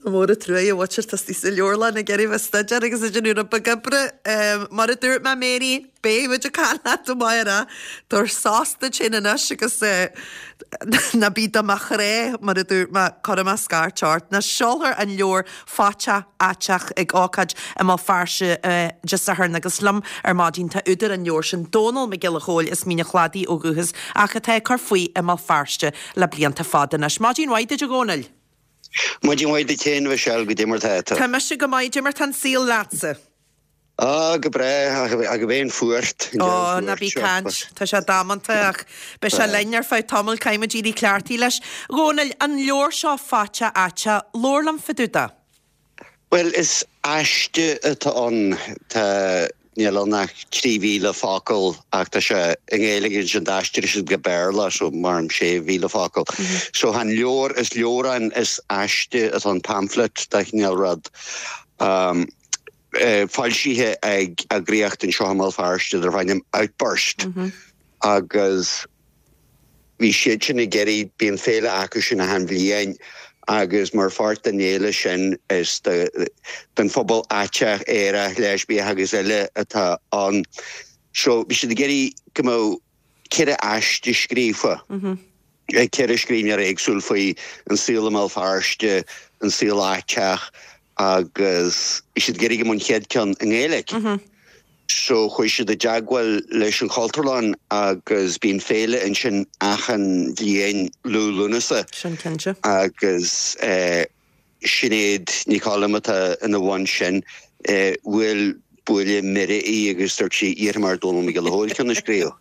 Mór an trua a bhfuil tú sa leabharlann ag iarraidh bheith staidéar agus ag déanamh rud beag oibre. Mar a dúirt mé Mary, beidh muid ag caint leat amárach. Tabhair sos duit féin anois agus ná bí do mo chré mar a dúirt mé cuirfidh mé scairt ort. Ná seolfar an leabhar Faiteach Aiteach ag ócáid i mBéal Feirste Dé Sathairn agus liom ar maidin tá údar an leabhair sin Dónall Mac Giolla Chóill as Mín an Chladaigh ó dhúchas ach atá ag cur faoi i mBéal Feirste le blianta fada anois. Maidin mhaith duit a Dhónaill. Maidin mhaith duit féin Michelle goidé mar tá tú. Tá mise go maith goidé mar tá an saol leatsa. Á go breá ach bheith fuart. Ó ná bí ag caint Tá sé damanta ach beidh sé linn ar feadh tamaill caithfidh muid éirí cleachtaithe leis. Dhónaill an leabhar seo Faiteach Aiteach, labhair liom fá dtaobh de. Well is aiste atá ann tá níl ann ach trí mhíle focal ach tá sé i nGaeilge ansin d'aistrigh siad go Béarla so mar an sé mhíle focal. So an leabhar is leabhrán is aiste atá an pamphlet de chineál rud. Um, eh, foilsithe ag eagraíocht anseo i mBéal Feirste darb ainm Outburst. Mm -hmm. Agus bhí siad sin ag iarraidh bíonn féile acu sin achan bhliain agus mar pháirt den fhéile sin is den phobal aiteach, aerach, leispiach agus eile atá ann. So bhí siad ag iarraidh go mbeadh ceithre aiste scríofa. Ag ceithre scríbhneoir éagsúil faoi an saol i mBéal Feirste, an saol aiteach agus bhí siad ag iarraidh go mbeadh an chéad ceann i nGaeilge. So chuaigh siad i dteagmháil leis an Chultúrlann agus bíonn féile ansin achan bhliain Liú Lúnasa. Sin cinnte. Agus eh, Sinéad Ní Choilm atá ina bhun sin eh, bhuail buille mire í agus dúirt sí iarrfaidh mé ar Dónall Mac Giolla Chóill ceann a scríobh.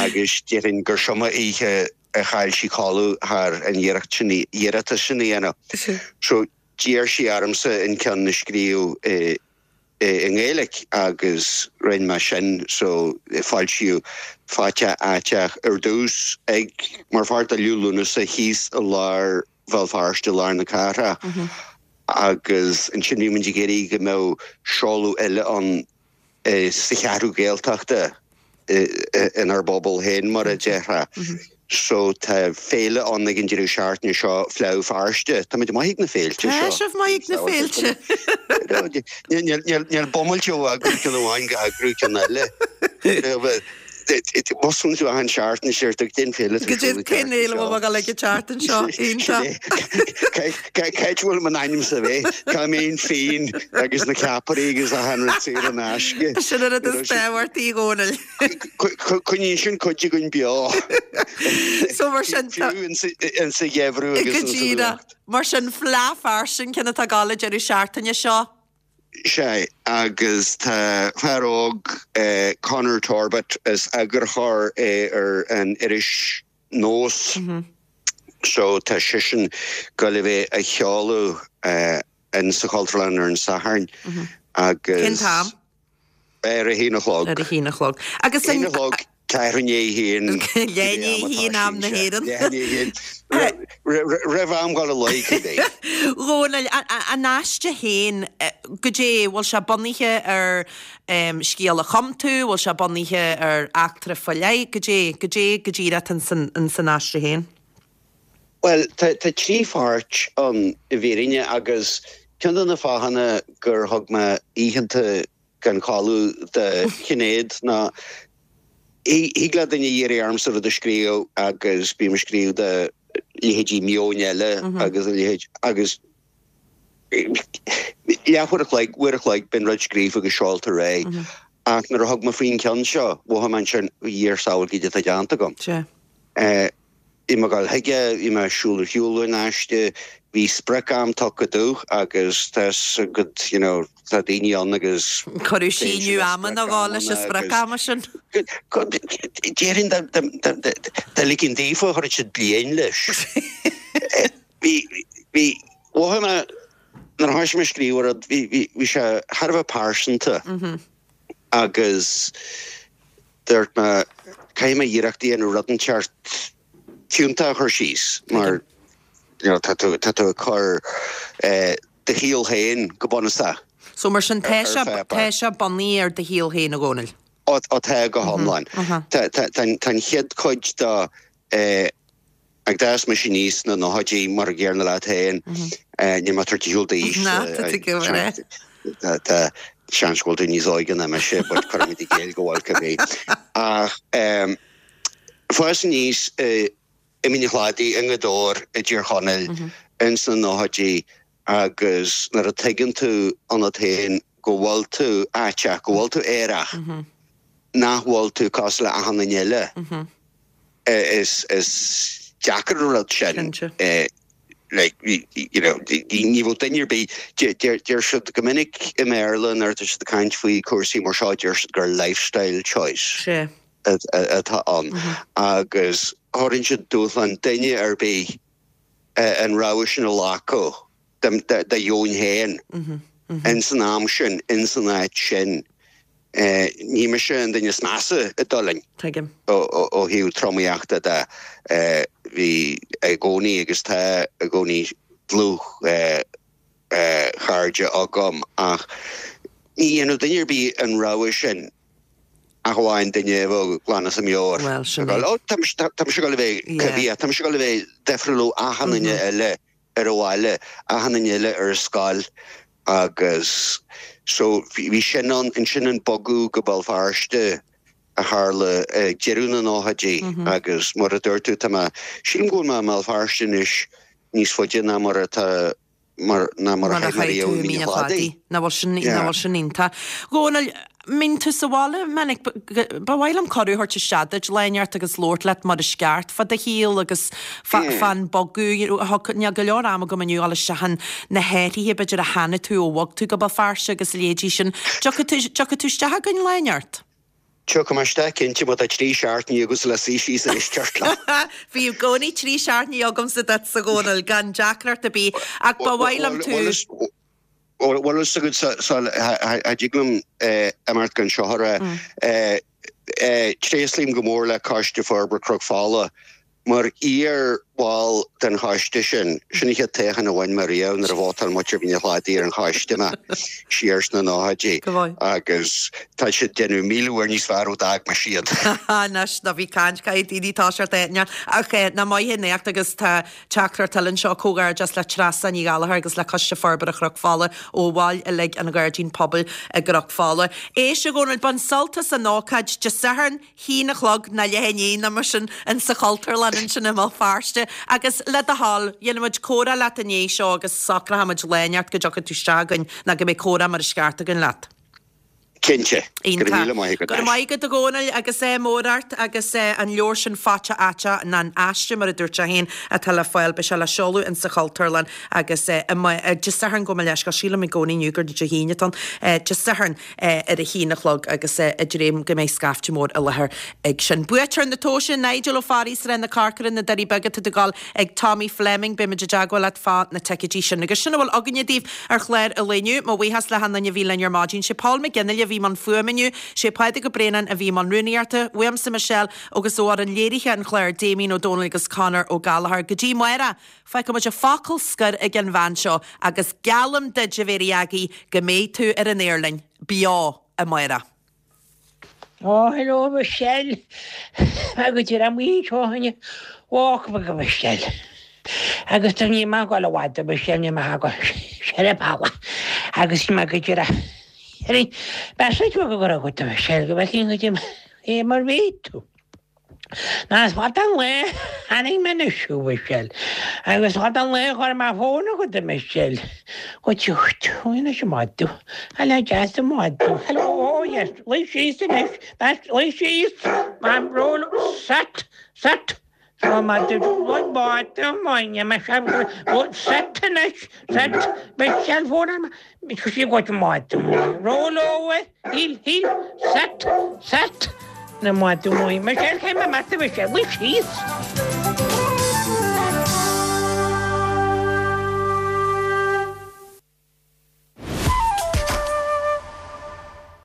Agus déarfainn gur seo an oíche a chaill sí codladh thar an iarracht sin iarratas sin a dhéanamh. So d'iarr sí ormsa an ceann a scríobh eh, i nGaeilge agus rinne mé sin so foilsíodh Faiteach Aiteach ar dtús ag mar pháirt de Liú Lúnasa thíos i lár Bhéal Feirste lár na cathrach mm -hmm. agus ansin bhí muid ag iarraidh go mbeadh seoladh eile ann eh, sa cheathrú Gaeltachta inár bpobal féin mar a déarfá. Mm -hmm. So tá féile ann ag an deireadh seachtaine seo Fleadh Feirste. Tá muid maith ag na féilte seo. Tá sibh maith ag na féilte. Níl bummailte ó eagrú ceann amháin go eagrú ceann eile. Moslann tú achan seachtain siar tú den féile. Go dtí cén fhéile bhfuil ag an tseachtain seo iontach. Cá bhfuil m'ainm sa bhé Cá mbeidh fíon agus na ceapairí agus achan rud saor in aisce. Sin an rud is tábhachtaí a Dhónaill. Coinníonn sin cuid againn beo. So mar sin Fiú in sa gheimhreadh agus Go in sa díreach. bhfuacht. Mar sin Fleadh Feirste an ceann atá ag gabháil an deireadh seachtaine seo. Sea, agus tá fear óg, Conor Torbett, is eagarthóir é ar an iris Nós, so tá seisean ag gabháil a bheith á sheoladh in sa Chultúrlann ar an Satharn agus. Cén t-am? Ar a haon a chlog. Ar a haon a chlog. Agus an. Haon a chlog, ceathrú i ndiaidh a haon. Leath i ndiaidh a haon am na hÉireann. Leath i ndiaidh a haon. Roimh am dhul a luí, cibé. Dhónaill, an aiste féin, goidé, bhfuil sé bunaithe ar scéal a chum tú, bhfuil sé bunaithe ar eachtra faoi leith, goidé, goidé go díreach atá ins an aiste féin? Bhuel, tá trí pháirt ann i bhfírinne agus ceann de na fáthanna gur thug mé oícheanta gan chodladh do Shinéad ná thig le duine iarraidh ormsa rud a scríobh agus bím ag scríobh do leithéidí Meon Eile agus a leithéid agus leathuair a chloig, uair a chloig, bíonn rud scríofa agus seolta ar aghaidh. Ach nuair a thug mé faoin cheann seo, mhothaigh mé ansin, Dhia ár sábháil goidé atá déanta agam. Bhí mé ag dul chuige, bhí mé ag siúl ar shiúl an aiste, bhí sprioc-am tugtha domh agus tá 'fhios agat, you know, tá daoine ann agus Cuireadh síneadh ama nó dhó leis an sprioc-ama sin. Déarfainn dá ligfinn daofa chuirfeadh siad bliain leis. Bhí, bhí, mhothaigh mé, nuair a thoisigh mé ag scríobh an rud, bhí, bhí, bhí sé thar a bheith pearsanta agus dúirt mé, caithfidh mé iarracht a dhéanamh rud inteacht fiúntach a chur síos mar you know, tá tú, tá tú ag cur eh, do shaol féin go bunúsach. So mar sin tá Ar sé, pháipéar. tá sé bunaithe ar do shaol féin a Dhónaill. Ó, ó tá go hiomlán. Tá, tá, tá, tá an chéad chuid de eh, ag d'fhás mise aníos sna nóchaidí mar a gcéanna leat féin, eh, níl mé ag tabhairt ar shiúl d'aois. Na, tá tú go maith. Tá, tá seans go bhfuil tú níos óige ná mise, but cuirfimid i gcéill go bhfuil cibé. Ach em, fás aníos eh, i Mín an Chladaigh i nGaoth Dobhair i dTír Chonaill ins na nóchaidí agus nuair a tuigeann tú ionat féin go bhfuil tú aiteach, go bhfuil tú aerach, nach bhfuil tú cosúil le achan duine eile, is is deacair an rud sin. Eh, like, you know, ní bhfuil duine ar bith, deir deir siad go minic i mBéarla nuair atá siad ag caint faoi cúrsaí mar seo, deir siad gur lifestyle choice. Sé. atá ann agus thabharfainn siad dúshlán duine ar bith an rogha sin a ghlacadh dá dheoin féin ins an am sin, ins an áit sin. Ní mise an duine is measa a d'fhulaing ó thaobh tromaíochta de. Bhí i gcónaí agus tá i gcónaí dlúth chairde agam ach ní dhéanfadh duine ar bith an rogha sin ach amháin duine a bheadh glan as a meabhair. Bhuel, sin é. Ó, tá mise ag dul a bheith coimhthíoch, tá mise ag dul a bheith difriúil ó achan duine eile ar an bhaile, achan duine eile ar an scoil agus so bhí sin ann, ansin an bogadh go Béal Feirste a tharla ag deireadh na nóchaidí agus mar a dúirt tú, tá mé, sílim go bhfuil mé i mBéal Feirste anois níos faide ná mar atá mar ná mar a Mar a chaith mé chaith riamh tú i i Mín Mín an an Chladaigh. Chladaigh. Nach bhfuil sin, Yeah. nach bhfuil sin iontach. Dhónaill, mbíonn tú sa bhaile minic, ba mhaith liom cuireadh a thabhairt isteach duit lá inteacht agus labhairt leat mar is ceart fá do shaol agus fá Yeah. fán bogadh, you know, thug, níl go leor ama agam inniu dul isteach in na hathruithe b'fhéidir a chonaic tú ó bhog tú go Béal Feirste agus a leithéidí sin. Dtiocfaidh tú, dtiocfaidh tú isteach againn lá inteacht? Tiocfaidh mé isteach cinnte má tá trí seachtainí agat le suí síos ag éisteacht liom. Bhí i gcónaí trí seachtainí agamsa duit a Dhónaill gan deacracht ar bith ach ba mhaith liom tú. Bhfuil fhios agat cha dtig liom imeacht gan seo a rá. Tréaslaím go mór le Coiste Forbartha Chnoc Fola Mar iar-bhall den choiste sin, sin an chéad toghchán a bhain mé riamh nuair a vótáil muintir Mhín an Chladaigh ar an choiste mé, siar sna nóchaidí, agus tá siad ag déanamh míle uair níos fearr ó d'fhág mise iad. Anois, ná bí ag caint, caithfidh daoine toiseacht a aithne. Ach ná maith an éacht agus tá teachtaireacht eile anseo, comhghairdeas le Treasa Ní Ghallchóir agus le Coiste Forbartha Chnoc Fola ó bhaill uilig an Ghairdín Pobail i gCnoc Fola. Éist, a Dhónaill, bain sult as an ócáid Dé Sathairn, haon a chlog ná leath i ndiaidh nó mar sin in sa Chultúrlann ansin i mBéal Feirste agus le do thoil, dhéanfaidh muid comhrá leat i ndiaidh seo agus socróidh muid lá inteacht go dtiocfaidh tú isteach againn nó go mbeidh comhrá mar is ceart againn leat. Cinnte. Go raibh Iontach. míle maith agat Go raibh anois. maith agat a Dhónaill agus ádh mór ort agus an leabhar sin Faighte Aiteach ná an aiste mar a dúirt sé féin atá le fáil beidh sé le seoladh in sa Chultúrlann agus Dé Sathairn gabh mo leithscéal sílim i gcónaí inniu gur Dé hAoine atá ann Dé Sathairn ar a haon a chlog agus ag dréim go mbeidh scaifte mór i láthair ag sin. Buaiteoir na tomhaise, Nigel Ó Fearraigh, Srath na Corcora, na Doirí Beaga, tá tú ag dul ag Tommy Fleming, beidh muid i dteagmháil leat fá na ticéidí sin. Agus sin a bhfuil againne daoibh ar chlár an lae inniu. Mo bhuíochas le hachan duine a bhí linn ar maidin. Sé Paul McGinley a bhí i mbun fuaime inniu, sé Pádraig Ó Braonáin a bhí i mbun rúnaíochta, uaimse Michelle agus ó fhoireann léirithe an chláir Damien Ó Dónaill agus Conor Ó Gallchóir. Go dtí amárach, fágfaidh muid an focal scoir ag an bhean seo agus geallaim duit a Mhéirí Aggie go mbeidh tú ar an aer linn, beo, amárach. Ó, hello Michelle. Agus ar an mhaoin seo inniu, walk go Michelle. Agus tá ní maith go bhfad Michelle ní maith go sé pala. Agus ní maith go dtí B'fhéidir go go raibh agat Michelle go bhfeicfinn go dtí é mar bhí tú. Ná is fada an lá tháinig mé anois a Mhichelle agus fada an lá a chuir mé fón agat a Mhichelle. Go dtiocfaidh tú anois a mhadadh. Hello deas a mhadadh. Hello oh yes luigh síos anois. That's luigh síos. Mam roll sat sat Seo madadh madadh maith mar sit anois sit Michelle phone sí go madadh maith roll over heel heel sit sit na madadh maith Michelle cé ma madadh Michelle bhí síos.